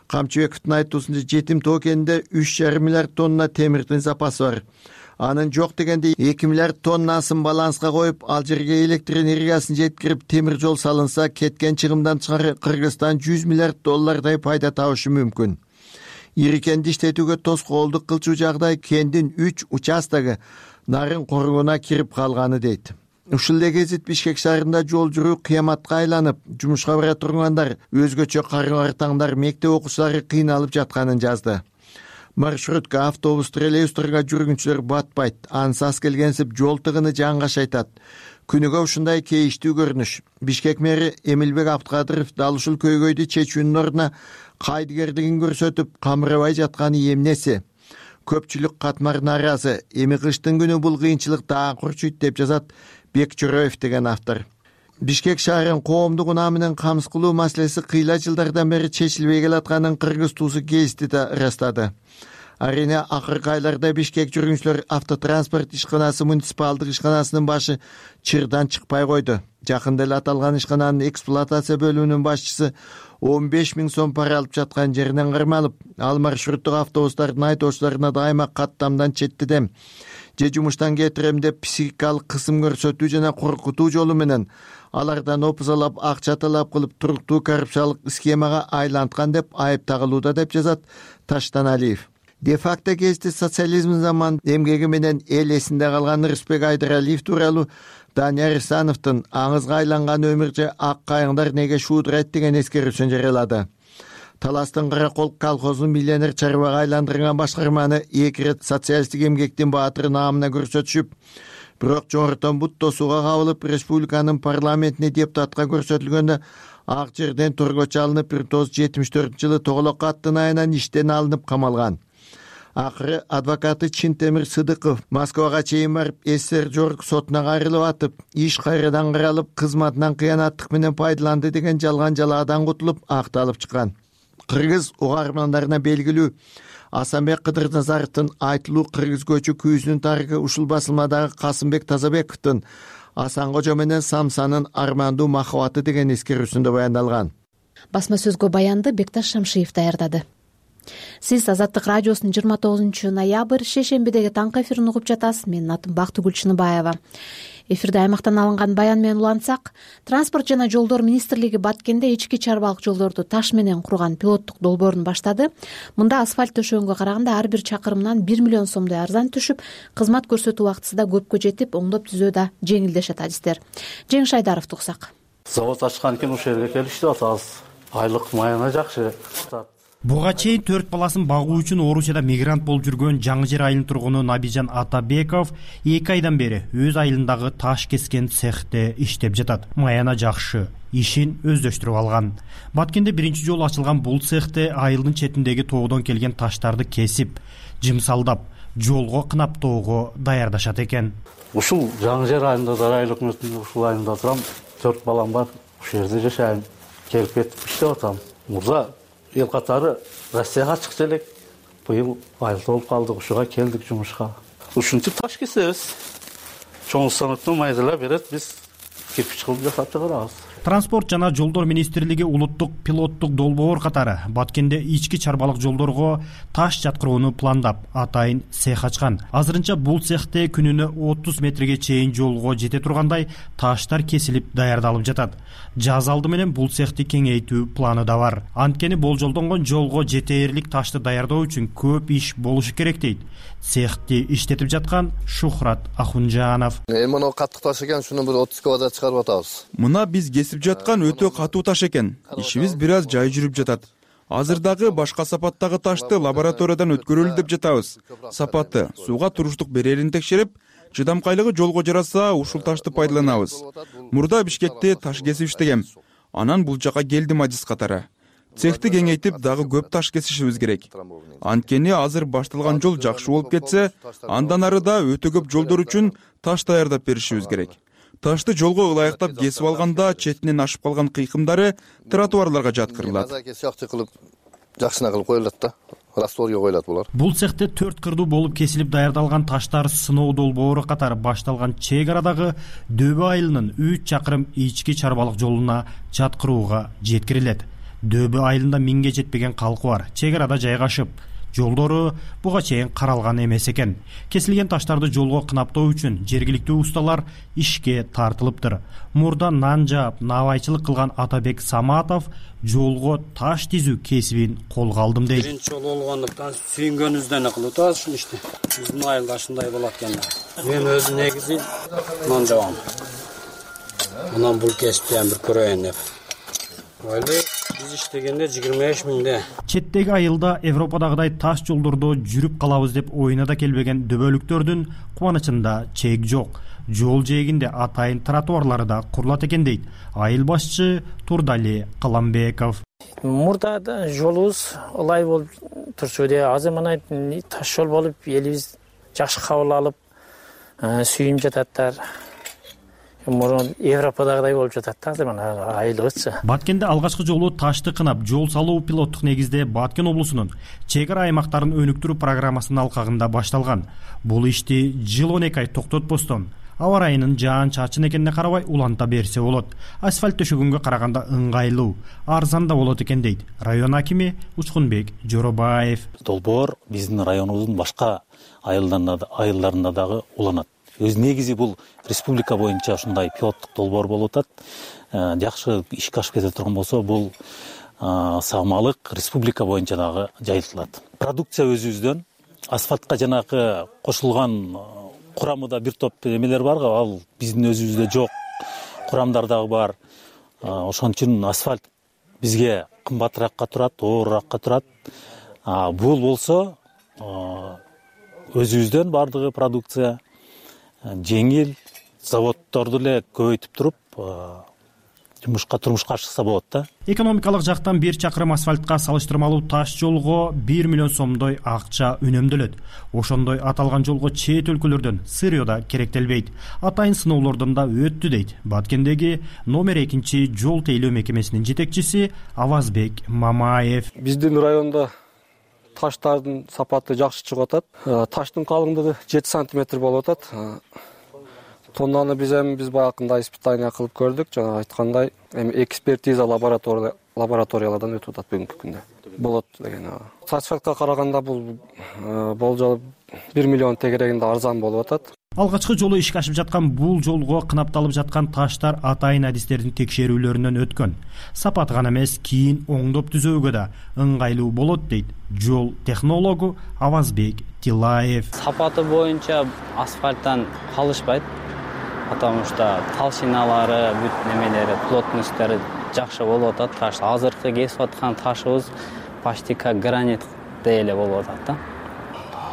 Камчыбековдун айтуусунча жетим тоо кенинде үч жарым миллиард тонна темирдин запасы бар. Анын жок дегенде эки миллиард тоннасын баланска коюп, ал жерге электр энергиясын жеткирип, темир жол салынса, кеткен чыгымдан чыгары Кыргызстан жүз миллиард доллардай пайда табышы мүмкүн. Ири кенди иштетүүгө тоскоолдук кылчу жагдай кендин үч участогу нарын коругуна кирип калганы дейт. Ушул эле гезит Бишкек шаарында жол жүрүү кыяматка айланып, жумушка бара тургандар, өзгөчө кары-картаңдар, мектеп окуучулары кыйналып жатканын жазды. Маршрутка, автобус, троллейбустарга жүргүнчүлөр батпайт, ансас келгенсип жол тыгыны жаңгаш айтат. Күнүгө ушундай кейиштүү көрүнүш. Бишкек мэри Эмилбек Абдыкадыров дал ушул көйгөйдү чечүүнүн ордуна кайдыгерлигин көрсөтүп, камырабай жатканы эмнеси? Көпчүлүк катмар нааразы, эми кыштын күнү бул кыйынчылык дагы курчуйт деп жазат Бек Чороев деген автор. Бишкек шаарын коомдук унаа менен камсыз кылуу маселеси кыйла жылдардан бери чечилбей келатканын Кыргыз туусу гезити да ырастады. Арийне акыркы айларда Бишкек жүргүнчүлөр автотранспорт ишканасы муниципалдык ишканасынын башы чырдан чыкпай койду. Жакында эле аталган ишкананын эксплуатация бөлүмүнүн башчысы он беш миң сом пара алып жаткан жеринен кармалып, ал маршруттук автобустардын айдоочуларына дайыма каттамдан четтедем же жумуштан кетирем деп психикалык кысым көрсөтүү жана коркутуу жолу менен алардан опузалап, акча талап кылып, туруктуу коррупциялык схемага айланткан деп айып тагылууда деп жазат Таштаналиев. Де-факто гезити социализм заман эмгеги менен эл эсинде калган Рыспек Айдаралиев тууралуу Данияр Исановдун аңызга айланган өмүрчө ак кайыңдар неге шуудурайт деген эскерүүсүн жарыялады. Таластын Каракол колхозун миллионер чарбага айландырган башкарманы эки ирет социалисттик эмгектин баатыры наамына көрсөтүшүп, бирок жогорудон бут тосууга кабылып, республиканын парламентине депутатка көрсөтүлгөндө ак жерден торгочу алынып, бир миң тогуз жүз жетимиш төртүнчү жылы Тоголок аттын айынан иштен алынып камалган. Акыры адвокаты Чинтемир Сыдыков Москвага чейин барып, СССР жогорку сотуна кайрылып атып, иш кайрадан каралып, кызматынан кыянаттык менен пайдаланды деген жалган жалаадан кутулуп, акталып чыккан. Кыргыз угармандарына белгилүү Асанбек Кыдырназаровдун айтылуу кыргыз көчү күүсүнүн тарыхы ушул басылмадагы Касымбек Тазабековдун Асан Кожо менен Самсанын армандуу махабаты деген эскерүүсүндө баяндалган. Басма сөзгө баянды Бекташ Шамшиев даярдады. Сиз Азаттык радиосунун жыйырма тогузунчу ноябрь шейшембидеги таңкы эфирин угуп жатасыз. Менин атым Бактыгүл Чыныбаева. Эфирде аймактан алынган баян менен улантсак, Транспорт жана жолдор министрлиги Баткенде ички чарбалык жолдорду таш менен курган пилоттук долбоорун баштады. Мында асфальт төшөгөнгө караганда ар бир чакырымдан бир миллион сомдой арзан түшүп, кызмат көрсөтүү убактысы да көпкө жетип, оңдоп түзөө да жеңилдешет адистер. Жеңиш Айдаровду уксак. Завод ачкан экен, ушул жерге келип иштеп атабыз. Айлык маяна жакшы. Буга чейин төрт баласын багуу үчүн Орусияда мигрант болуп жүргөн Жаңы Жер айылынын тургуну Набижан Атабеков эки айдан бери өз айылындагы таш кескен цехте иштеп жатат. Маяна жакшы, ишин өздөштүрүп алган. Баткенде биринчи жолу ачылган бул цехте айылдын четиндеги тоодон келген таштарды кесип, жымсалдап, жолго кынаптоого даярдашат экен. Ушул Жаңы Жер айылында Дарай өкмөтүнүн ушул айылында турам, төрт балам бар, ушул жерде жашайм. Келип кетип иштеп атам. Мурда эл катары Россияга чыкчу элек. Быйыл айыл болуп калдык, ушуга келдик жумушка. Ушинтип таш кесебиз. Чоң станоктон майдалап берет, биз кирпич кылып жасап чыгарабыз. транспорт жана жолдор министрлиги улуттук пилоттук долбоор катары Баткенде ички чарбалык жолдорго таш жаткырууну пландап, атайын цех ачкан. Азырынча бул цехте күнүнө отуз метрге чейин жолго жете тургандай таштар кесилип даярдалып жатат. Жаз алды менен бул цехти кеңейтүү планы да бар. Анткени болжолдонгон жолго жетээрлик ташты даярдоо үчүн көп иш болушу керек дейт цехти иштетип жаткан Шухрат Ахунжанов. Эми мына катык таш экен, шуну бир отуз килограмм чыгарып атабыз. Мына биз кесип жаткан өтө катуу таш экен. Ишибиз бир аз жай жүрүп жатат. Азыр дагы башка сапаттагы ташты лабораториядан өткөрөлү деп жатабыз. Сапаты, сууга туруштук берерин текшерип, чыдамкайлыгы жолго жараса, ушул ташты пайдаланабыз. Мурда Бишкекте таш кесип иштегем. Анан бул жака келдим адис катары. Цехти кеңейтип дагы көп таш кесишибиз керек. Анткени азыр башталган жол жакшы болуп кетсе, андан ары да өтө көп жолдор үчүн таш даярдап беришибиз керек. Ташты жолго ылайыктап кесип алганда четинен ашып калган кыйкымдары тротуарларга жаткырылат. Жакшына кылып коюлат да. Растворго коюлат булар. Бул цехте төрт кырдуу болуп кесилип даярдалган таштар сыноо долбоору катары башталган чек арадагы Дөбө айылынын үч чакырым ички чарбалык жолуна жаткырууга жеткирилет. Дөбө айылында миңге жетпеген калкы бар. Чек арада жайгашып, жолдору буга чейин каралган эмес экен. Кесилген таштарды жолго кынаптоо үчүн жергиликтүү усталар ишке тартылыптыр. Мурда нан жаап, набайчылык кылган Атабек Саматов жолго таш тизүү кесибин колго алдым дейт. Биринчи жолу болгондуктан сүйүнгөнүбүздөн кылып атабыз ушул ишти. Биздин айылда ушундай болот экен. Мен өзүм негизи нан жабам. Анан бул кесипти бир көрөйүн деп. Ойлойм, биз иштегенде жыйырма беш миңде. Четтеги айылда Европадагыдай таш жолдордо жүрүп калабыз деп оюна да келбеген дөбөлүктөрдүн кубанычында чек жок. Жол жээгинде атайын тротуарлары да курулат экен дейт айыл башчы Турдали Каламбеков. Мурда да жолубуз ылай болуп турчу де, азыр мына таш жол болуп элибиз жакшы кабыл алып сүйүнүп жататтар. Мурун Европадагыдай болуп жатат да азыр мына айылыбызчы. Баткенде алгачкы жолу ташты кынап жол салуу пилоттук негизде Баткен облусунун чек ара аймактарын өнүктүрүү программасынын алкагында башталган. Бул ишти жыл он эки ай токтотпостон аба ырайынын жаан-чачын экенине карабай уланта берсе болот. Асфальт төшөгөнгө караганда ыңгайлуу, арзан да болот экен дейт район акими Учкунбек Жоробаев. Долбоор биздин районубуздун башка айылдарында дагы уланат. Өз негизи бул республика боюнча ушундай пилоттук долбоор болуп атат. Жакшы ишке ашып кете турган болсо, бул саамалык республика боюнча дагы жайылтылат. Продукция өзүбүздөн асфальтка жанагы кошулган курамында бир топ эмелер бар, ал биздин өзүбүздө жок. Курамдар дагы бар. Ошон үчүн асфальт бизге кымбатыраакка турат, оорураакка турат. Бул болсо өзүбүздөн бардыгы продукция жеңил, заводдорду эле көбөйтүп туруп жумушка турмушка ашыкса болот да. Экономикалык жактан бир чакырым асфальтка салыштырмалуу таш жолго бир миллион сомдой акча үнөмдөлөт. Ошондой аталган жолго чет өлкөлөрдөн сырьё да керектелбейт. Атайын сыноолордон да өттү дейт Баткендеги номер экинчи жол тейлөө мекемесинин жетекчиси Авазбек Мамаев. Биздин районда таштардын сапаты жакшы чыгып атат. Таштын калыңдыгы жети сантиметр болуп атат. Тоннаны биз эми биз баягындай испытание кылып көрдүк. Жана айткандай, эми экспертиза лабораториялардан өтүп атат бүгүнкү күндө. Болот деген. Асфальтка караганда бул болжол бир миллион тегерегинде арзан болуп атат. Алгачкы жолу ишке ашып жаткан бул жолго кынапталып жаткан таштар атайын адистердин текшерүүлөрүнөн өткөн. Сапаты гана эмес, кийин оңдоп түзөөгө да ыңгайлуу болот дейт жол технологу Авазбек Тилаев. Сапаты боюнча асфальттан калышпайт, потому что толщиналары, бүт немелери, плотносттары жакшы болуп атат. Таш азыркы кесип аткан ташыбыз почти как гранит эле болуп атат да.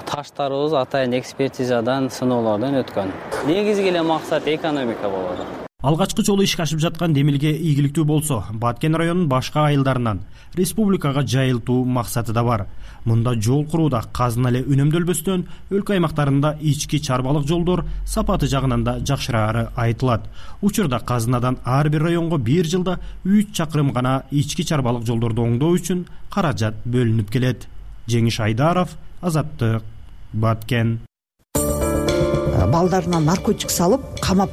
Таштарыбыз атайын экспертизадан, сыноолордон өткөн. Негизги эле максат экономика болуп атат. Алгачкы жолу ишке ашып жаткан демилге ийгиликтүү болсо, Баткен районунун башка айылдарынан республикага жайылтуу максаты да бар. Мында жол курууда казына эле үнөмдөлбөстөн өлкө аймактарында ички чарбалык жолдор сапаты жагынан да жакшыраары айтылат. Учурда казынадан ар бир районго бир жылда үч чакырым гана ички чарбалык жолдорду оңдоо үчүн каражат бөлүнүп келет. Жеңиш Айдаров, Азаттык, Баткен. Балдарына наркотик салып, камап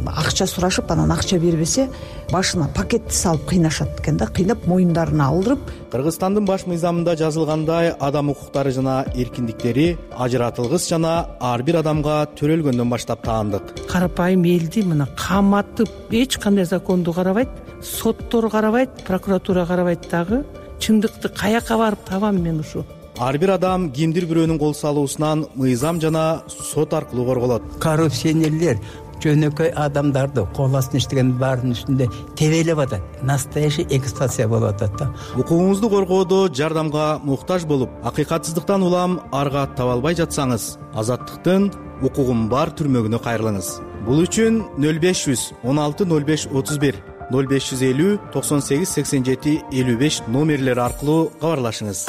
акча сурашып анан акча бербесе башына пакетти салып кыйнашат экен да, кыйнап моюндарына алдырып. Кыргызстандын баш мыйзамында жазылгандай адам укуктары жана эркиндиктери ажыратылгыс жана ар бир адамга төрөлгөндөн баштап таандык. Карапайым элди мына каматып эч кандай законду карабайт, соттор карабайт, прокуратура карабайт дагы. Чындыкты каяка барып табам мен ушу? Ар бир адам кимдир бирөөнүн кол салуусунан мыйзам жана сот аркылуу корголот. Коррупционерлер жөнөкөй адамдарды кол астына иштеген баарынын үстүндө тебелеп атат. Настоящий эксплуатация болуп атат да. Укугуңузду коргоодо жардамга муктаж болуп, акыйкатсыздыктан улам арга таба албай жатсаңыз, Азаттыктын укугум бар түрмөгүнө кайрылыңыз. Бул үчүн нөл беш жүз он алты нөл беш отуз бир нөл беш жүз элүү токсон сегиз сексен жети элүү беш номерлери аркылуу кабарлашыңыз.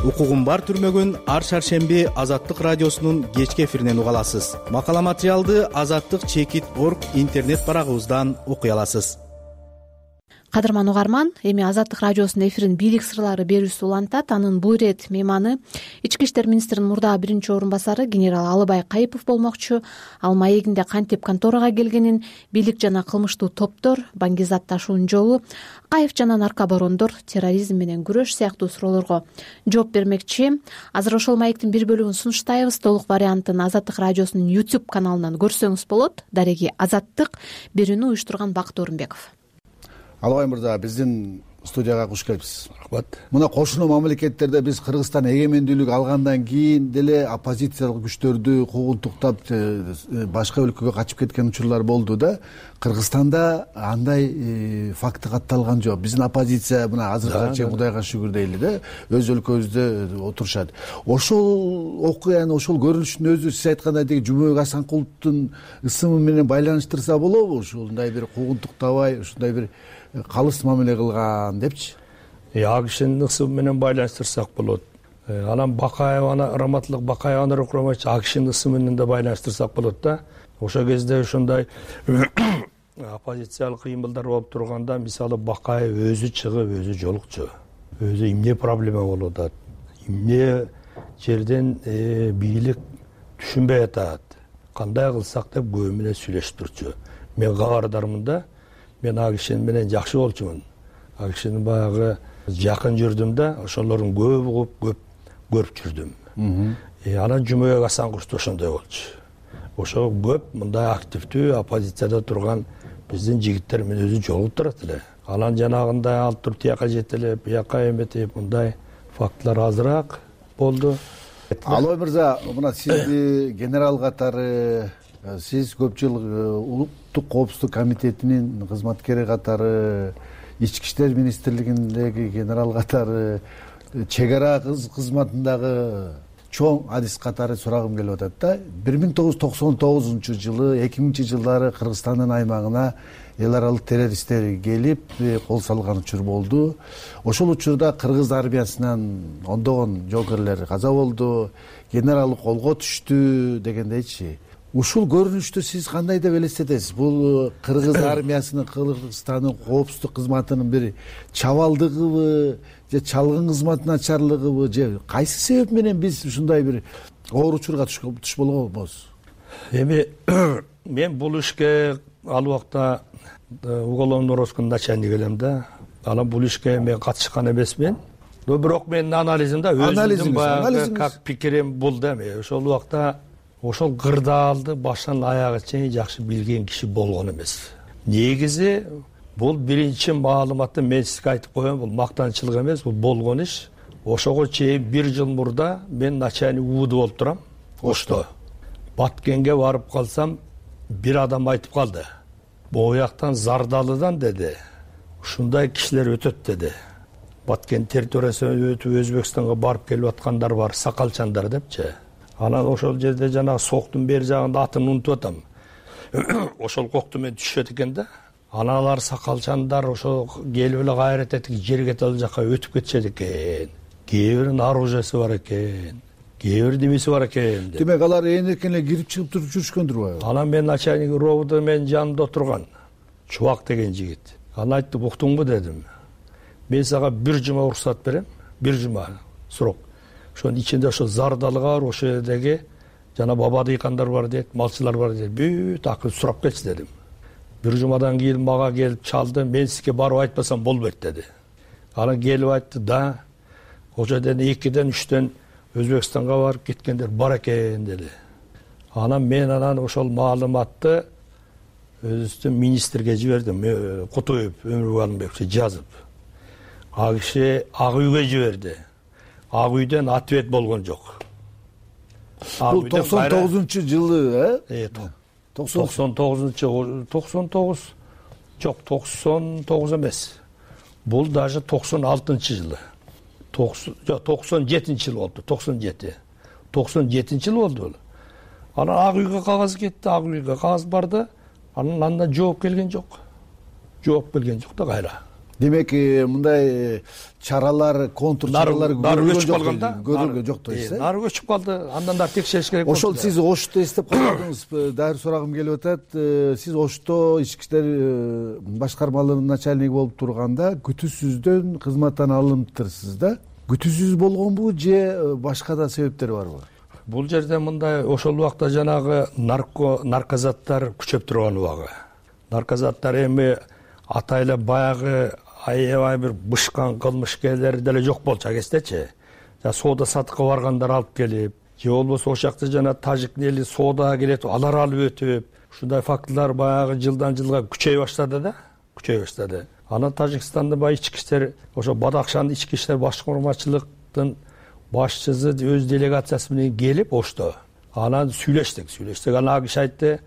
Укугум бар түрмөгүн ар шаршемби Азаттык радиосунун кечки эфиринен уга аласыз. Макала материалды Азаттык чекит орг интернет барагыбыздан окуй аласыз. Кадырман угарман, эми Азаттык радиосунун эфирин бийлик сырлары берүүсү улантат. Анын бул ирет мейманы Ички иштер министринин мурдагы биринчи орун басары генерал Алыбай Кайыпов болмокчу. Ал маегинде кантип конторага келгенин, бийлик жана кылмыштуу топтор, баңгизат ташуунун жолу, Акаев жана наркобарондор, терроризм менен күрөш сыяктуу суроолорго жооп бермекчи. Азыр ошол маектин бир бөлүгүн сунуштайбыз. Толук вариантын Азаттык радиосунун YouTube каналынан көрсөңүз болот. Дареги Азаттык берүүнү уюштурган Бакыт Орунбеков. Алыбай мырза, биздин студияга куш келипсиз. Рахмат. Мына кошуна мамлекеттерде биз Кыргызстан эгемендүүлүк алгандан кийин деле оппозициялык күчтөрдү куугунтуктап башка өлкөгө качып кеткен учурлар болду да. Кыргызстанда андай факты катталган жок. Биздин оппозиция мына азыркыга чейин Кудайга шүгүр дейли да, өз өлкөбүздө отурушат. Ошол окуяны, ошол көрүнүштүн өзү сиз айткандай деги Жумабек Асанкуловдун ысымы менен байланыштырса болобу? Ушундай бир куугунтуктабай, ушундай бир калыс мамиле кылган депчи. Ак кишинин ысымы менен байланыштырсак болот. Анан Бакаеваны, Раматылык Бакаеваны рукматчы ак кишинин ысымы менен да байланыштырсак болот да. Ошол кезде ушундай оппозициялык кыймылдар болуп турганда, мисалы Бакаев өзү чыгып, өзү жолукчу. Өзү эмне проблема болуп атат? Эмне жерден бийлик түшүнбөй атат? Кандай кылсак деп көбү менен сүйлөшүп турчу. Мен кабардармын да. Мен ак киши менен жакшы болчумун. Ак кишинин баягы жакын жүрдүм да, ошолордун көп көп көрүп жүрдүм. Анан Жумабек Асанкулов ошондой болчу. Ошо көп мындай активдүү оппозицияда турган биздин жигиттер менен өзү жолугуп турат эле. Анан жанагындай алып туруп тияка жетелеп, бияка эметип, мындай фактылар азыраак болду. Алыбай мырза, мына сизди генерал катары, сиз көп жыл улуттук коопсуздук комитетинин кызматкери катары, Ички иштер министрлигиндеги генерал катары, чек ара кызматындагы чоң адис катары сурагым келип атат да. бир миң тогуз жүз токсон тогузунчу жылы, эки миңинчи жылдары Кыргызстандын аймагына эл аралык террористтер келип кол салган учур болду. Ошол учурда кыргыз армиясынан ондогон жоокерлер каза болду, генерал колго түштү дегендейчи. Ушул көрүнүштү сиз кандай деп элестетесиз? Бул кыргыз армиясынын, Кыргызстандын коопсуздук кызматынын бир чабалдыгыбы, же чалгын кызматынын начарлыгыбы, же кайсы себеп менен биз ушундай бир оор учурга туш болгонбуз? Эми мен бул ишке ал убакта уголовный розыскын начальник элем да. Анан бул ишке мен катышкан эмесмин. Но бирок менин анализимде өзүмдүн баягы как пикирим бул да. Ошол убакта ошол кырдаалды башынан аягына чейин жакшы билген киши болгон эмес. Негизи бул биринчи маалыматты мен сизге айтып коем, бул мактанчылык эмес, бул болгон иш. Ошого чейин бир жыл мурда мен начальник УВД болуп турам. Ошто Баткенге барып калсам, бир адам айтып калды. Бояктан Зардалыдан деди, ушундай кишилер өтөт деди. Баткен территориясынан өтүп Өзбекстанга барып келип аткандар бар, сакалчандар депчи. Анан ошол жерде жана соктун бери жагында атын унутуп атам. Ошол кокту мен түшөт экен да. Анан алар сакалчандар ошо келип эле кайрат этип жерге тал жака өтүп кетишет экен. Кээ биринин оружиясы бар экен. Кээ бир демеси бар экен. Демек алар ээн эркен эле кирип чыгып туруп жүрүшкөндүр. Анан мен начальник ровд менин жанымда отурган Чубак деген жигит. Анан айтты, уктуңбу дедим. Мен сага бир жума уруксат берем, бир жума срок. Ошонун ичинде ошо Зардалыга, ошол жердеги жана баба дыйкандар бар дейт, малчылар бар дейт. Бүт акыры сурап келчи дедим. Бир жумадан кийин мага келип чалды. Мен сизге барып айтпасам болбойт деди. Анан келип айтты да, ошо жерден экиден үчтөн Өзбекстанга барып кеткендер бар экен деди. Анан мен анан ошол маалыматты өзүбүздүн министрге жибердим. Кутуев Өмүрбек Алымбековиче жазып. Ал киши Ак үйгө жиберди. Ак үйдөн ответ болгон жок. Бул токсон тогузунчу жылы, э? токсон тогузунчу токсон тогуз жок, токсон тогуз эмес. Бул даже токсон алтынчы жылы. Жок, токсон жетинчи жыл болду. токсон жети. токсон жетинчи жыл болду. Анан Ак үйгө кагаз кетти, Ак үйгө кагаз барды. Анан андан жооп келген жок. Жооп келген жок да кайра. Демек, мындай чаралар, контур чаралар көрүлгөн жок да. Көрүлгөн жок да. Нары көчүп калды. Андан да текшериш керек. Ошол сиз Ошто эстеп калдыңыз. Дайыр сурагым келип атат. Сиз Ошто ички иштер башкармалыгынын начальниги болуп турганда күтүүсүздөн кызматтан алыныптырсыз да. Күтүүсүз болгонбу же башка да себептер барбы? Бул жерде мындай ошол убакта жанагы нарко наркозаттар күчөп турган убагы. Наркозаттар эми атайлап баягы аябай бир бышкан кылмышкерлер деле жок болчу кездечи. Соода сатыкка баргандар алып келип, же болбосо ошол жакта жана тажик эли соодага келет, алар алып өтүп, ушундай фактылар баягы жылдан жылга күчөй баштады да, күчөй баштады. Анан Тажикстандын баягы ички иштер, ошо Бадакшандын ички иштер башкармачылыктын башчысы өз делегациясы менен келип Ошто. Анан сүйлөштүк, сүйлөштүк. Анан ал киши айтты,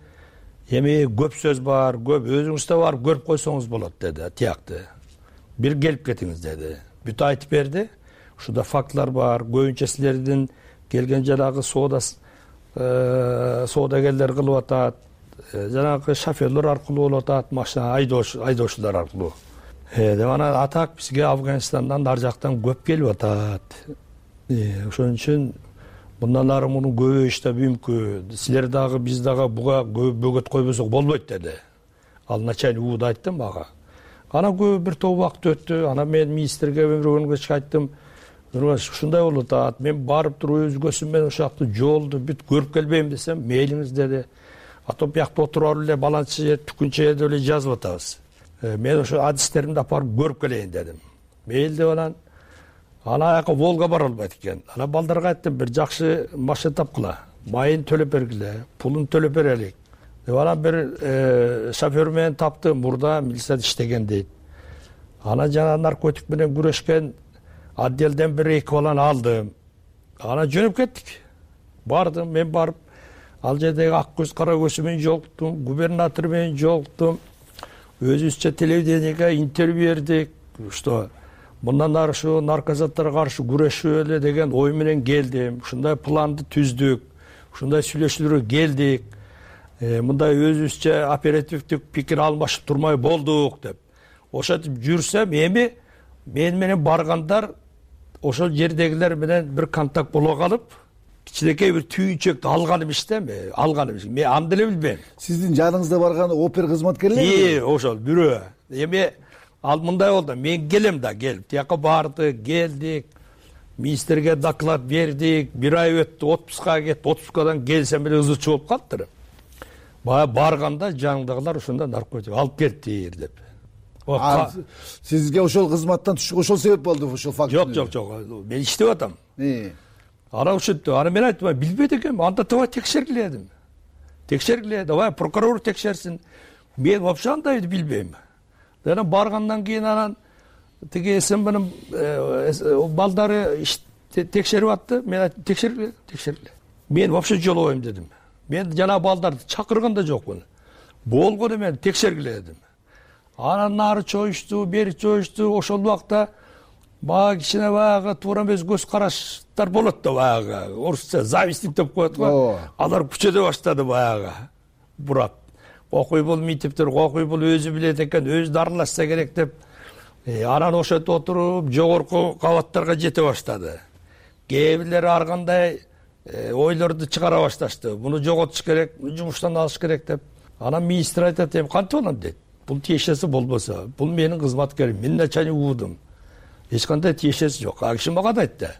эми көп сөз бар, көп өзүңүз да барып көрүп койсоңуз болот деди, тиякты. Бир келип кетиңиз деди. Бүт айтып берди. Ушунда фактылар бар, көбүнчө силердин келген жанагы соода соодагерлер кылып атат, жанагы шоферлор аркылуу болуп атат, машина айдоочулар аркылуу. Э, деп анан атак бизге Афганистандан ар жактан көп келип атат. Ошон үчүн мындан ары муну көбөйүш да мүмкүн. Силер дагы биз дагы буга бөгөт койбосок болбойт деди. Ал начальник ууду айтты мага. Анан көп бир топ убакыт өттү. Анан мен министрге Өмүрбек айттым, ушундай болуп атат. Мен барып туруп өзгөсү менен ошол жакты жолду бүт көрүп келбейм десем, мейлиңиз деди. Ата биякта отуруп эле баланчы жер түкүнчө жерде эле жазып атабыз. Мен ошо адистеримди апарып көрүп келейин дедим. Мейли деп анан Ана аяка Волга бара албайт экен. Анан балдарга айттым, бир жакшы машина тапкыла, майын төлөп бергиле, пулун төлөп берелик. Деп анан бир шофер менен тапты, мурда милицияда иштеген дейт. Анан жана наркотик менен күрөшкен отделден бир эки баланы алдым. Анан жөнөп кеттик. Бардым, мен барып, ал жердеги ак көз кара көзү менен жолуктум, губернатор менен жолуктум. Өзүбүзчө телевидениеге интервью бердик. Что мындан ары ушу наркозаттарга каршы күрөшүп эле деген ой менен келдим. Ушундай планды түздүк. Ушундай сүйлөшүүлөргө келдик. Мындай өзүбүзчө оперативдик пикир алмашып турмай болдук деп. Ошентип жүрсөм, эми мен менен баргандар ошол жердегилер менен бир контакт боло калып, кичинекей бир түйүнчөктү алган эмес да, алган эмес. Мен аны деле билбейм. Сиздин жаныңызда барган опер кызматкерлери? Ии, ошол бирөө. Эми ал мындай болду, мен келем да, келип, тияка барды, келдик, министрге доклад бердик, бир ай өттү, отпускага кетти, отпускадан келсем эле ызычы болуп калыптыр. Бая барганда жаңдагылар ошондо наркотик алып келиптир деп. Сизге ошол кызматтан түшүп ошол себеп болду, ошол факт? Жок, жок, жок. Мен иштеп атам. Ана ушинтип, ана мен айттым, билбейт экенмин, анда давай текшергиле дедим. Текшергиле, давай прокурор текшерсин. Мен вообще андайды билбейм. Анан баргандан кийин анан тиги СМБнын балдары текшерип атты. Мен айттым, текшергиле, текшергиле. Мен вообще жолобойм дедим. Мен жана балдарды чакырган да жокмун. Болгону мен текшергиле дедим. Анан нары чоюшту, бери чоюшту, ошол убакта баягы кичине баягы туура эмес көз караштар болот да баягы. Орусча завистник деп коет го. Алар күчөдө баштады баягы. Бурап. Окуй бул митиптер, окуй бул өзү билет экен, өзү дарылашса керек деп. Анан ошентип отуруп, жогорку кабаттарга жете баштады. Кээ бирлери ар кандай ойлорду чыгара башташты. Муну жоготуш керек, жумуштан алыш керек деп. Анан министр айтат, эми кантип алам дейт. Бул тиешеси болбосо, бул менин кызматкерим, мен начальник уудум. Эч кандай тиешеси жок. А киши мага да айтты.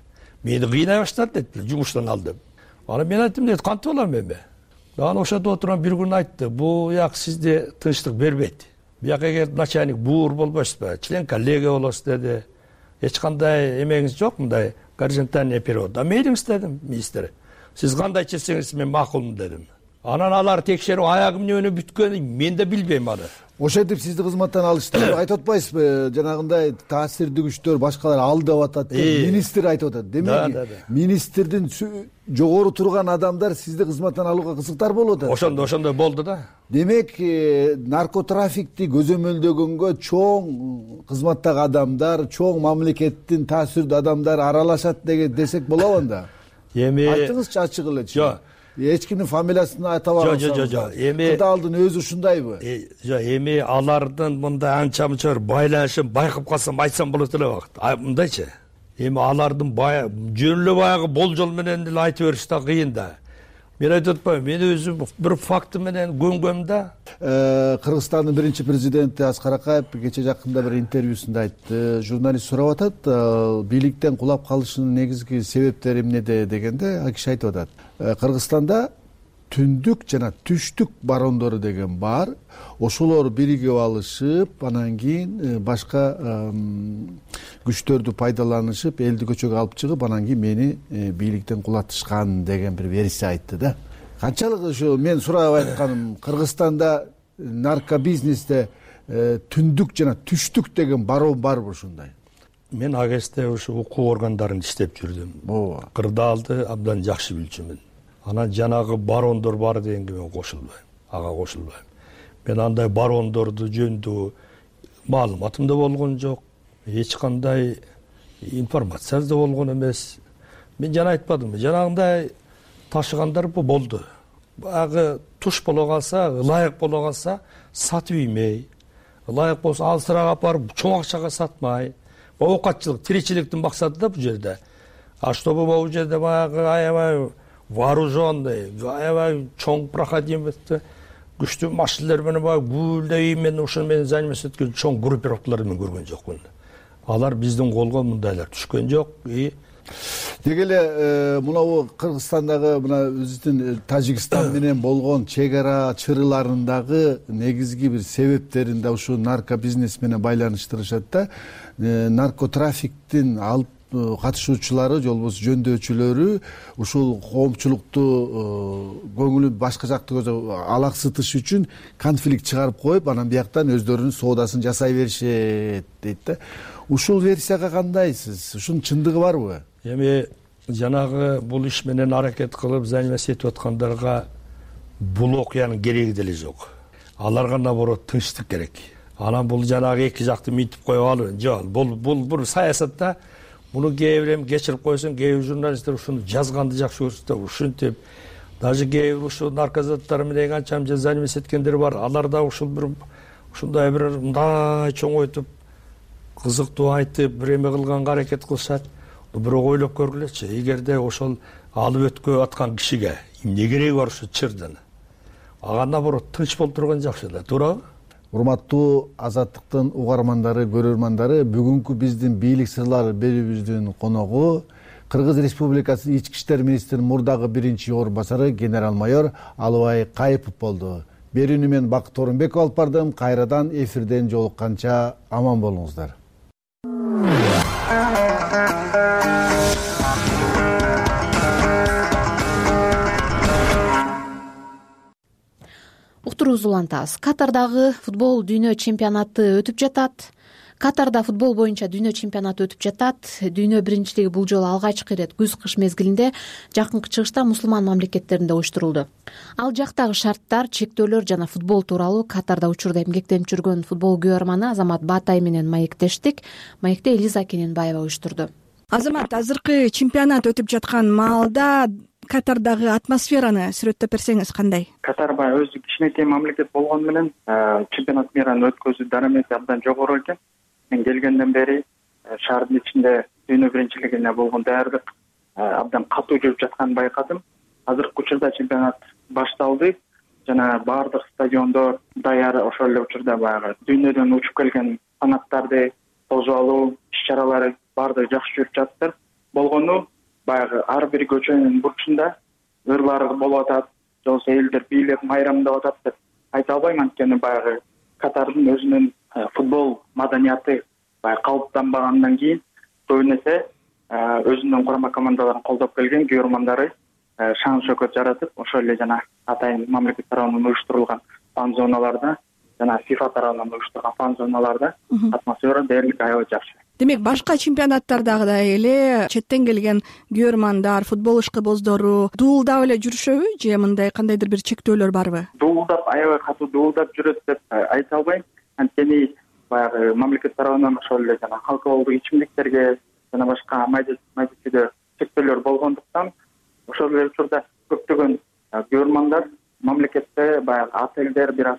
Мени кыйнай баштады дейт, жумуштан алдым. Анан мен айттым, дейт, кантип алам эми? Анан ошодо отурган бир күн айтты, бул як сизде тынчтык бербейт. Бияка эгер начальник буур болбойсузбу, член коллегия болосуз деди. Эч кандай эмеңиз жок, мындай горизонтальный перевод. А мейлиңиз дедим, министр. Сиз кандай чечсеңиз мен макулмун дедим. Анан алар текшерүү аягым эмне бүткөнүн мен да билбейм аны. Ошентип сизди кызматтан алышты. Айтып атпайсызбы, жанагындай таасирдүү күчтөр башкалар ал деп атат деп министр айтып атат. Демек, министрдин жогору турган адамдар сизди кызматтан алууга кызыктар болуп атат. Ошондо ошондой болду да. Демек, наркотрафикти көзөмөлдөгөнгө чоң кызматтагы адамдар, чоң мамлекеттин таасирдүү адамдары аралашат деген десек болобу анда? Эми айтыңызчы ачык элечи. Жок. Эч кимдин фамилиясын айта албасаңыз. Жок, жок, жок. Эми Кыдалдын өзү ушундайбы? Жок, эми алардын мындай анча-мынча байланышын байкап калсам айтсам болот эле убакыт. Мындайчы. Эми алардын жөн эле баягы болжол менен эле айтып бериш да кыйын да. Мен айтып атпайм, мен өзүм бир факты менен көнгөм да. Кыргызстандын биринчи президенти Аскар Акаев кече жакында бир интервьюсунда айтты. Журналист сурап атат, бийликтен кулап калышынын негизги себептери эмнеде дегенде, ал киши айтып атат. Кыргызстанда түндүк жана түштүк барондору деген бар. Ошолор биригип алышып, анан кийин башка күчтөрдү пайдаланышып, элди көчөгө алып чыгып, анан кийин мени бийликтен кулатышкан деген бир версия айтты да. Канчалык ушу мен сурап айтканым, Кыргызстанда наркобизнесте түндүк жана түштүк деген барон барбы ушундай? Мен ал кезде ушу укук органдарында иштеп жүрдүм. Ооба. Кырдаалды абдан жакшы билчүмүн. Анан жанагы барондор бар дегенге мен кошулбайм. Ага кошулбайм. Мен андай барондорду жөнүндө маалыматым да болгон жок. Эч кандай информация да болгон эмес. Мен жана айтпадымбы, жанагындай ташыгандар болду. Баягы туш боло калса, ылайык боло калса сатып иймей, ылайык болсо алысыраак апарып чоң акчага сатмай. Оокатчылык, тиричиликтин максаты да бул жерде. А чтобы бул жерде баягы аябай вооруженный, аябай чоң проходимость, күчтүү машиналар менен баягы гүлдөй менен ушуну менен заниматься эткөн чоң группировкаларды мен көргөн жокмун. Алар биздин колго мындайлар түшкөн жок. И деги эле мынабу Кыргызстандагы мына биздин Тажикстан менен болгон чек ара чырыларындагы негизги бир себептерин да ушу наркобизнес менен байланыштырышат да. Наркотрафиктин алып катышуучулары же болбосо жөндөочүлөрү ушул коомчулукту көңүлүн башка жакта алаксытыш үчүн конфликт чыгарып коюп, анан бияктан өздөрүнүн соодасын жасай беришет дейт да. Ушул версияга кандайсыз? Ушунун чындыгы барбы? Эми жанагы бул иш менен аракет кылып заниматься этип аткандарга бул окуянын кереги деле жок. Аларга наоборот тынчтык керек. Анан бул жанагы эки жакты мынтип коюп алуу жок. Бул бул бул саясатта муну кээ бир эми кечирип койсоң, кээ бир журналисттер ушуну жазганды жакшы көрүп, ушинтип даже кээ бир ушул наркозаттар менен канча заниматься эткендер бар. Алар да ушул бир ушундай бир мындай чоңойтуп кызыктуу айтып, бир эме кылганга аракет кылышат. Бирок ойлоп көргүлөчү, эгерде ошол алып өткө аткан кишиге эмне кереги бар ушу чырдын? Ага наоборот тынч болуп турган жакшы да, туурабы? Урматтуу Азаттыктын угармандары, көрөрмандары, бүгүнкү биздин бийлик сырлары берүүбүздүн коногу Кыргыз Республикасы Ички иштер министринин мурдагы биринчи орун басары генерал-майор Алыбай Кайыпов болду. Берүүнү мен Бакыт Орунбеков алып бардым. Кайрадан эфирден жолукканча аман болуңуздар. Уктуруубузду улантабыз. Катардагы футбол дүйнө чемпионаты өтүп жатат. Катарда футбол боюнча дүйнө чемпионаты өтүп жатат. Дүйнө биринчилиги бул жолу алгачкы ирет күз-кыш мезгилинде жакынкы чыгышта мусулман мамлекеттеринде уюштурулду. Ал жактагы шарттар, чектөөлөр жана футбол тууралуу Катарда учурда эмгектенип жүргөн футбол күйөрманы Азамат Баатай менен маектештик. Маекти Элиза Кененбаева уюштурду. Азамат, азыркы чемпионат өтүп жаткан маалда Катардагы атмосфераны сүрөттөп берсеңиз кандай? Катар баягы өзү кичинекей мамлекет болгону менен чемпионат мираны өткөзүү дарамети абдан жогору экен. Мен келгенден бери шаардын ичинде дүйнө биринчилигине болгон даярдык абдан катуу жүрүп жатканын байкадым. Азыркы учурда чемпионат башталды жана баардык стадиондор даяр. Ошол эле учурда баягы дүйнөдөн учуп келген фанаттарды тосуп алуу иш-чаралары баардыгы жакшы жүрүп жатты. Болгону баягы ар бир көчөнүн бурчунда ырлар болуп атат, же болбосо элдер бийлеп майрамдап атат деп айта албайм. Анткени баягы Катардын өзүнүн футбол маданияты баягы калыптанбагандан кийин көбүн эсе өзүнүн курама командаларын колдоп келген күйөрмандары шаан шөкөт жаратып, ошол эле жана атайын мамлекет тарабынан уюштурулган фан зоналарда жана фифа тарабынан уюштурган фан зоналарда атмосфера дээрлик аябай жакшы. Демек башка чемпионаттардагыдай эле четтен келген күйөрмандар, футбол ишкыбоздору дуулдап эле жүрүшөбү же мындай кандайдыр бир чектөөлөр барбы? Дуулдап, аябай катуу дуулдап жүрөт деп айта албайм. Анткени баягы мамлекет тарабынан ошол эле жана алкоголдук ичимдиктерге жана башка майда-майда чектөөлөр болгондуктан ошол эле учурда көптөгөн күйөрмандар мамлекетте баягы отелдер бир аз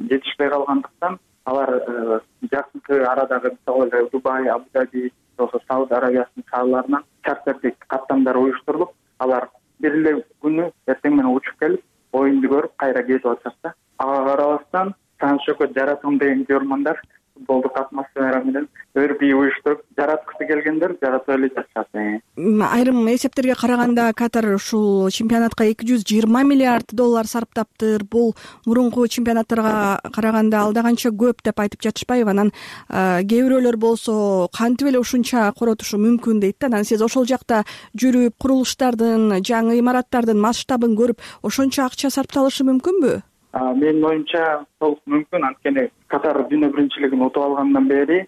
жетишпей калгандыктан алар жакынкы арадагы мисалы эле Дубай, Абу-Даби, же болбосо Сауд Арабиясынын шаарларынан чартердик каттамдар уюштурулуп, алар бир эле күнү эртең менен учуп келип, оюнду көрүп кайра кетип атышат да. Ага карабастан шаан шөкөт жаратам деген күйөрмандар футболдук атмосфера менен өр бий уюштуруп жараткысы келгендер жаратып эле жатышат. Айрым эсептерге караганда Катар ушул чемпионатка эки жүз жыйырма миллиард доллар сарптаптыр. Бул мурунку чемпионаттарга караганда алда канча көп деп айтып жатышпайбы? Анан кээ бирөөлөр болсо кантип эле ушунча коротушу мүмкүн дейт да. Анан сиз ошол жакта жүрүп, курулуштардын, жаңы имараттардын масштабын көрүп, ошончо акча сарпталышы мүмкүнбү? Менин оюмча толук мүмкүн. Анткени Катар дүйнө биринчилигин утуп алгандан бери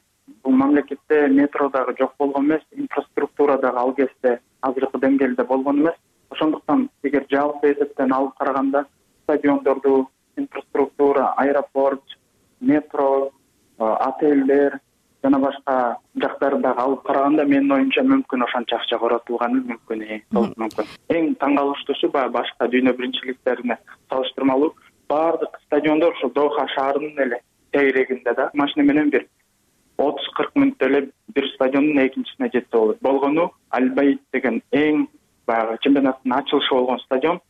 бул мамлекетте метро дагы жок болгон эмес, инфраструктура дагы ал кезде азыркы деңгээлде болгон эмес. Ошондуктан эгер жалпы эсептен алып караганда стадиондорду, инфраструктура, аэропорт, метро, отелдер жана башка жактарды дагы алып караганда менин оюмча мүмкүн ошончо акча коротулганы мүмкүн, толук мүмкүн. Эң таң калыштуусу баягы башка дүйнө биринчиликтерине салыштырмалуу баардык стадиондор ушул Доха шаарынын эле тегерегинде да машина менен бир отуз кырк мүнөттө эле бир стадиондун экинчисине жетсе болот. Болгону Аль-Баид деген эң баягы чемпионаттын ачылышы болгон стадион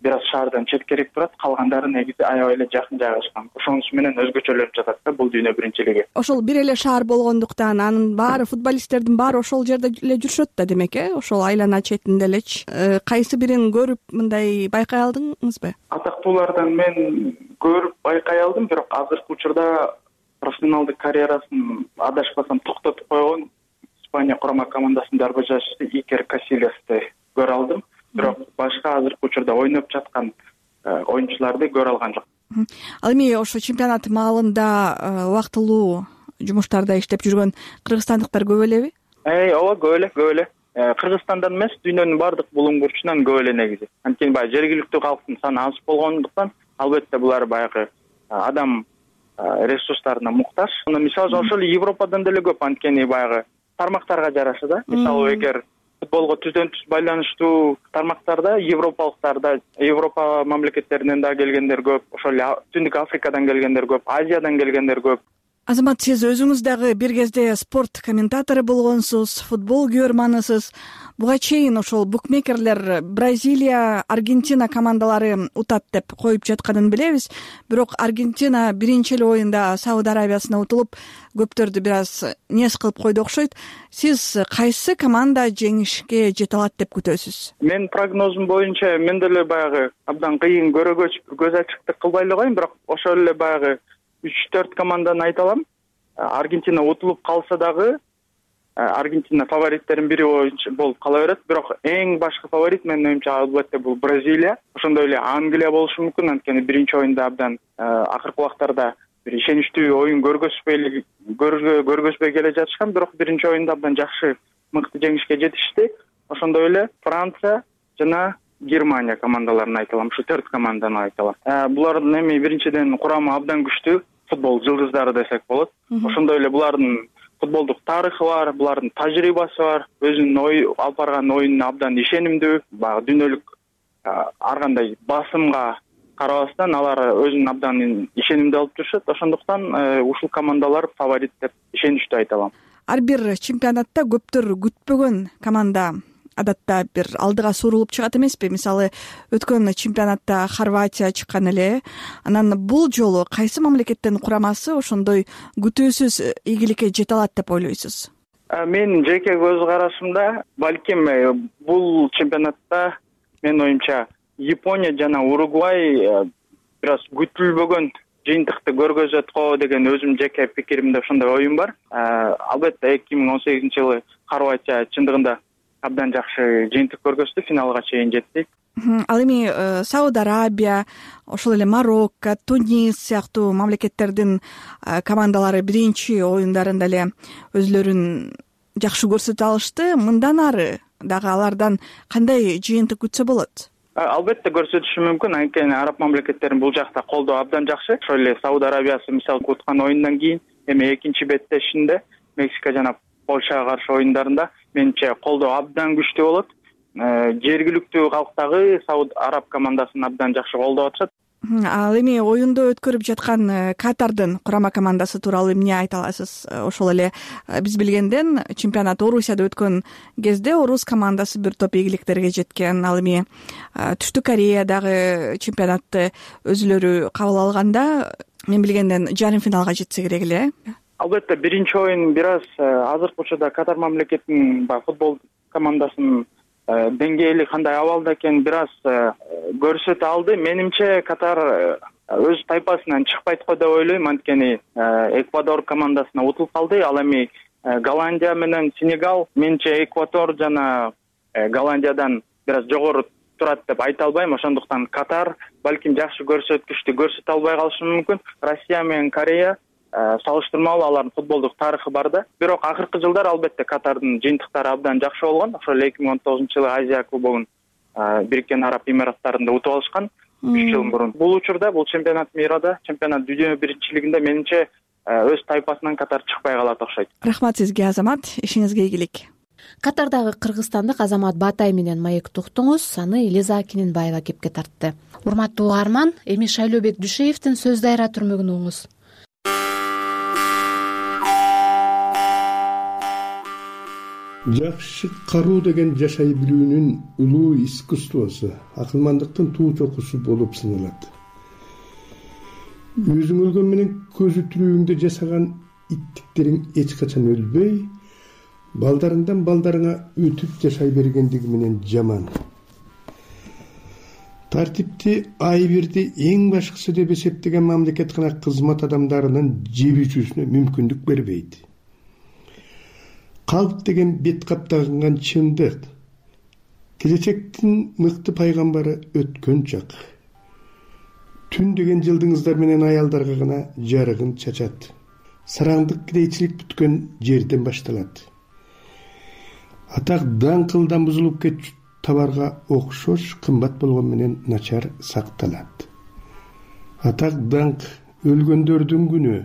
бир аз шаардан четкерээк турат, калгандары негизи аябай эле жакын жайгашкан. Ошонусу менен өзгөчөлөнүп жатат да бул дүйнө биринчилиги. Ошол бир эле шаар болгондуктан анын баары футболисттердин баары ошол жерде эле жүрүшөт да демек, э? Ошол айлана четинде элечи. Кайсы бирин көрүп мындай байкай алдыңызбы? Атактуулардан мен көрүп байкай алдым, бирок азыркы учурда профессионалдык карьерасын адашпасам токтотуп койгон Испания курама командасынын дарбажашысы Икер Касильясты көрө алдым. Бирок башка азыркы учурда ойноп жаткан оюнчуларды көрө алган жок. Ал эми ошо чемпионат маалында убактылуу жумуштарда иштеп жүргөн кыргызстандыктар көп элеби? Эй, ооба, көп эле, көп эле. Кыргызстандан эмес, дүйнөнүн баардык булуң бурчунан көп эле негизи. Анткени баягы жергиликтүү калктын саны аз болгондуктан, албетте булар баягы адам ресурстарына муктаж. Мисалы ошол Европадан деле көп, анткени баягы тармактарга жараша да. Мисалы эгер футболго түздөн түз байланыштуу тармактарда европалыктарда, Европа мамлекеттеринен да келгендер көп, ошол эле Түндүк Африкадан келгендер көп, Азиядан келгендер көп. Азамат, сиз өзүңүз дагы бир кезде спорт комментатору болгонсуз, футбол күйөрманысыз. Буга чейин ошол букмекерлер Бразилия, Аргентина командалары утат деп коюп жатканын билебиз. Бирок Аргентина биринчи эле оюнда Сауд Арабиясына утулуп, көптөрдү бир аз нес кылып койду окшойт. Сиз кайсы команда жеңишке жете алат деп күтөсүз? Мен прогнозум боюнча мен деле баягы абдан кыйын көрөгөч, көз ачыктык кылбай эле коеюн, бирок ошол эле баягы үч төрт команданы айта алам. Аргентина утулуп калса дагы Аргентина фавориттердин бири болуп кала берет, бирок эң башкы фаворит менин оюмча албетте бул Бразилия. Ошондой эле Англия болушу мүмкүн, анткени биринчи оюнда абдан акыркы убактарда бир ишеничтүү оюн көргөзбөй көргөзбөй келе жатышкан, бирок биринчи оюнда абдан жакшы мыкты жеңишке жетишти. Ошондой эле Франция жана Германия командаларын айта алам, ушу төрт команданы айта алам. Булардын эми биринчиден курамы абдан күчтүү, футбол жылдыздары десек болот. Ошондой эле булардын футболдук тарыхы бар, булардын тажрыйбасы бар, өзүнүн ой алып барган оюнуна абдан ишенимдүү. Баягы дүйнөлүк ар кандай басымга карабастан алар өзүн абдан ишенимдүү алып жүрүшөт. Ошондуктан ушул командалар фаворит деп ишеничтүү айта алам. Ар бир чемпионатта көптөр күтпөгөн команда адатта бир алдыга сурулуп чыгат эмеспи? Мисалы, өткөн чемпионатта Хорватия чыккан эле. Анан бул жолу кайсы мамлекеттин курамасы ошондой күтүүсүз ийгиликке жете алат деп ойлойсуз? Мен жеке көз карашымда балким бул чемпионатта менин оюмча Япония жана Уругвай бир аз күтүлбөгөн жыйынтыкты көргөзөт го деген өзүм жеке пикиримде ошондой оюм бар. Албетте эки миң он сегизинчи жылы Хорватия чындыгында абдан жакшы жыйынтык көргөздү, финалга чейин жетти. Ал эми Сауд Арабия, ошол эле Марокко, Тунис сыяктуу мамлекеттердин командалары биринчи оюндарында эле өзлөрүн жакшы көрсөтө алышты. Мындан ары дагы алардан кандай жыйынтык күтсө болот? Албетте көрсөтүшү мүмкүн, анткени араб мамлекеттерин бул жакта колдоо абдан жакшы. Ошол эле Сауд Арабиясы мисалы уткан оюндан кийин эми экинчи беттешинде Мексика жана Польшага каршы оюндарында менимче колдоо абдан күчтүү болот. Жергиликтүү калк дагы Сауд Араб командасын абдан жакшы колдоп атышат. Ал эми оюнду өткөрүп жаткан Катардын курама командасы тууралуу эмне айта аласыз? Ошол эле биз билгенден чемпионат Орусияда өткөн кезде Орус командасы бир топ ийгиликтерге жеткен. Ал эми Түштүк Кореядагы чемпионатты өзүлөрү кабыл алганда мен билгенден жарым финалга жетсе керек эле. Албетте биринчи оюн бир аз азыркы учурда Катар мамлекетинин футбол командасынын деңгээли кандай абалда экенин бир аз көрсөтө алды. Менимче Катар өз тайпасынан чыкпайт го деп ойлойм, анткени Эквадор командасына утулуп калды. Ал эми Голландия менен Сенегал менимче Эквадор жана Голландиядан бир аз жогору турат деп айта албайм. Ошондуктан Катар балким жакшы көрсөткүчтү көрсөтө албай калышы мүмкүн. Россия менен Корея салыштырмалуу алардын футболдук тарыхы бар да. Бирок акыркы жылдар албетте Катардын жыйынтыктары абдан жакшы болгон. Ошол эки миң он тогузунчу жылы Азия кубогун Бириккен Араб Эмираттарында утуп алышкан үч жыл мурун. Бул учурда бул чемпионат мирда, чемпионат дүйнө биринчилигинде менимче өз тайпасынан Катар чыкпай калат окшойт. Рахмат сизге, Азамат. Ишиңизге ийгилик. Катардагы кыргызстандык Азамат Батай менен маекти уктуңуз. Аны Элиза Киненбаева кепке тартты. Урматтуу угарман, эми Шайлообек Дүйшеевдин Сөз дайра түрмөгүн угуңуз. Жакшы каруу деген жашай билүүнүн улуу искусствосу, акылмандыктын туу чокусу болуп саналат. Өзүң өлгөн менен көзү тирүүңдө жасаган иттиктериң эч качан өлбөй, балдарыңдан балдарыңа өтүп жашай бергендиги менен жаман. Тартипти, айбирди эң башкысы деп эсептеген мамлекеткана кызмат адамдарынын жебүүчүсүнө мүмкүндүк бербейт. Калп деген бет каптаган чындык. Келечектин мыкты пайгамбары өткөн чак. Түн деген жылдыңыздар менен аялдарга гана жарыгын чачат. Сараңдык кирейчилик бүткөн жерден башталат. Атак даңкылдан бузулуп кетчү табарга окшош кымбат болгон менен начар сакталат. Атак даңк өлгөндөрдүн күнү.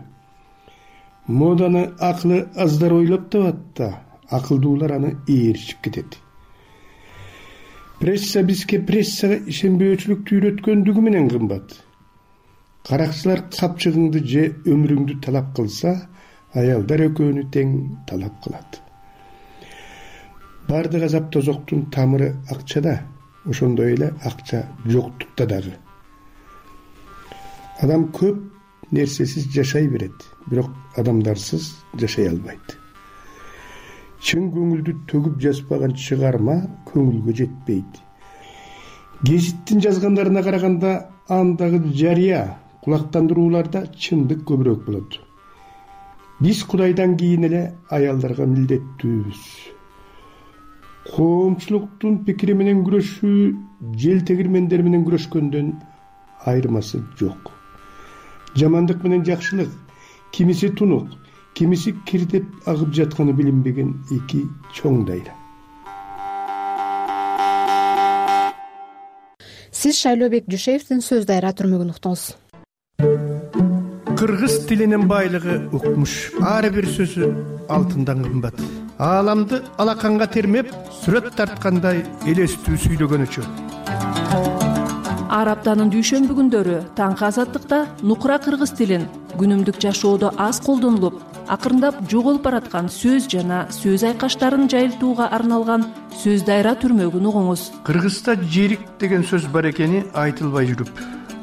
Моданы акылы аздар ойлоп табат да, акылдуулар аны ээрчип кетет. Пресса бизге прессага ишенбөөчүлүктү үйрөткөндүгү менен кымбат. Каракчылар капчыгыңды же өмүрүңдү талап кылса, аялдар экөөнү тең талап кылат. Бардык азап тозоктун тамыры акчада, ошондой эле акча жоктукта дагы. Адам көп нерсесиз жашай берет, бирок адамдарсыз жашай албайт. Чын көңүлдү төгүп жазбаган чыгарма көңүлгө жетпейт. Гезиттин жазгандарына караганда андагы жарыя, кулактандырууларда чындык көбүрөөк болот. Биз Кудайдан кийин эле аялдарга милдеттүүбүз. Коомчулуктун пикири менен күрөшүү жел тегирмендер менен күрөшкөндөн айырмасы жок. Жамандык менен жакшылык, кимиси тунук, кимиси кирдеп агып жатканы билинбеген эки чоң дайра. Сиз Шайлообек Дүйшеевдин Сөз дайра түрмөгүн уктуңуз. Кыргыз тилинин байлыгы укмуш. Ар бир сөзү алтындан кымбат. Ааламды алаканга термеп, сүрөт тарткандай элестүү сүйлөгөнүчө. Ар аптанын дүйшөмбү күндөрү таңкы азаттыкта нукура кыргыз тилин күнүмдүк жашоодо аз колдонулуп, акырындап жоголуп бараткан сөз жана сөз айкаштарын жайылтууга арналган Сөз дайра түрмөгүн угуңуз. Кыргызда жерик деген сөз бар экени айтылбай жүрүп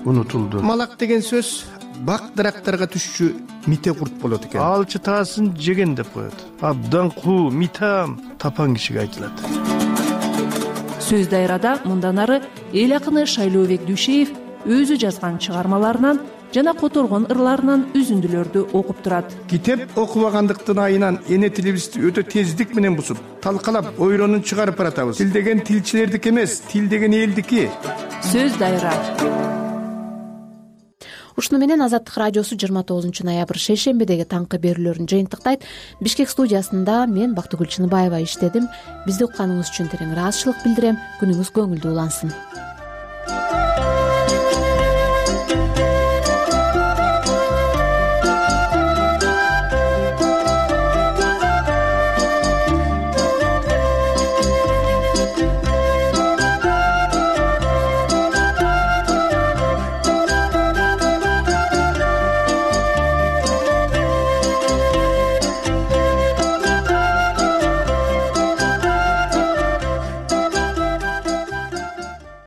унутулду. Малак деген сөз бак дарактарга түшчү мите курт болот экен. Алчы таасын жеген деп коет. Абдан куу, митам, тапан кишиге айтылат. сөз дайрада мындан ары эл акыны Шайлообек Дүйшеев өзү жазган чыгармаларынан жана которгон ырларынан үзүндүлөрдү окуп турат. Китеп окубагандыктын айынан эне тилибизди өтө тездик менен бузуп, талкалап, ойронун чыгарып баратабыз. Тил деген тилчилердики эмес, тил деген элдики. Сөз дайра. Ушуну менен Азаттык радиосу жыйырма тогузунчу ноябрь шейшембидеги таңкы берүүлөрүн жыйынтыктайт. Бишкек студиясында мен Бактыгүл Чыныбаева иштедим. Бизди укканыңыз үчүн терең ыраазычылык билдирем. Күнүңүз көңүлдүү улансын.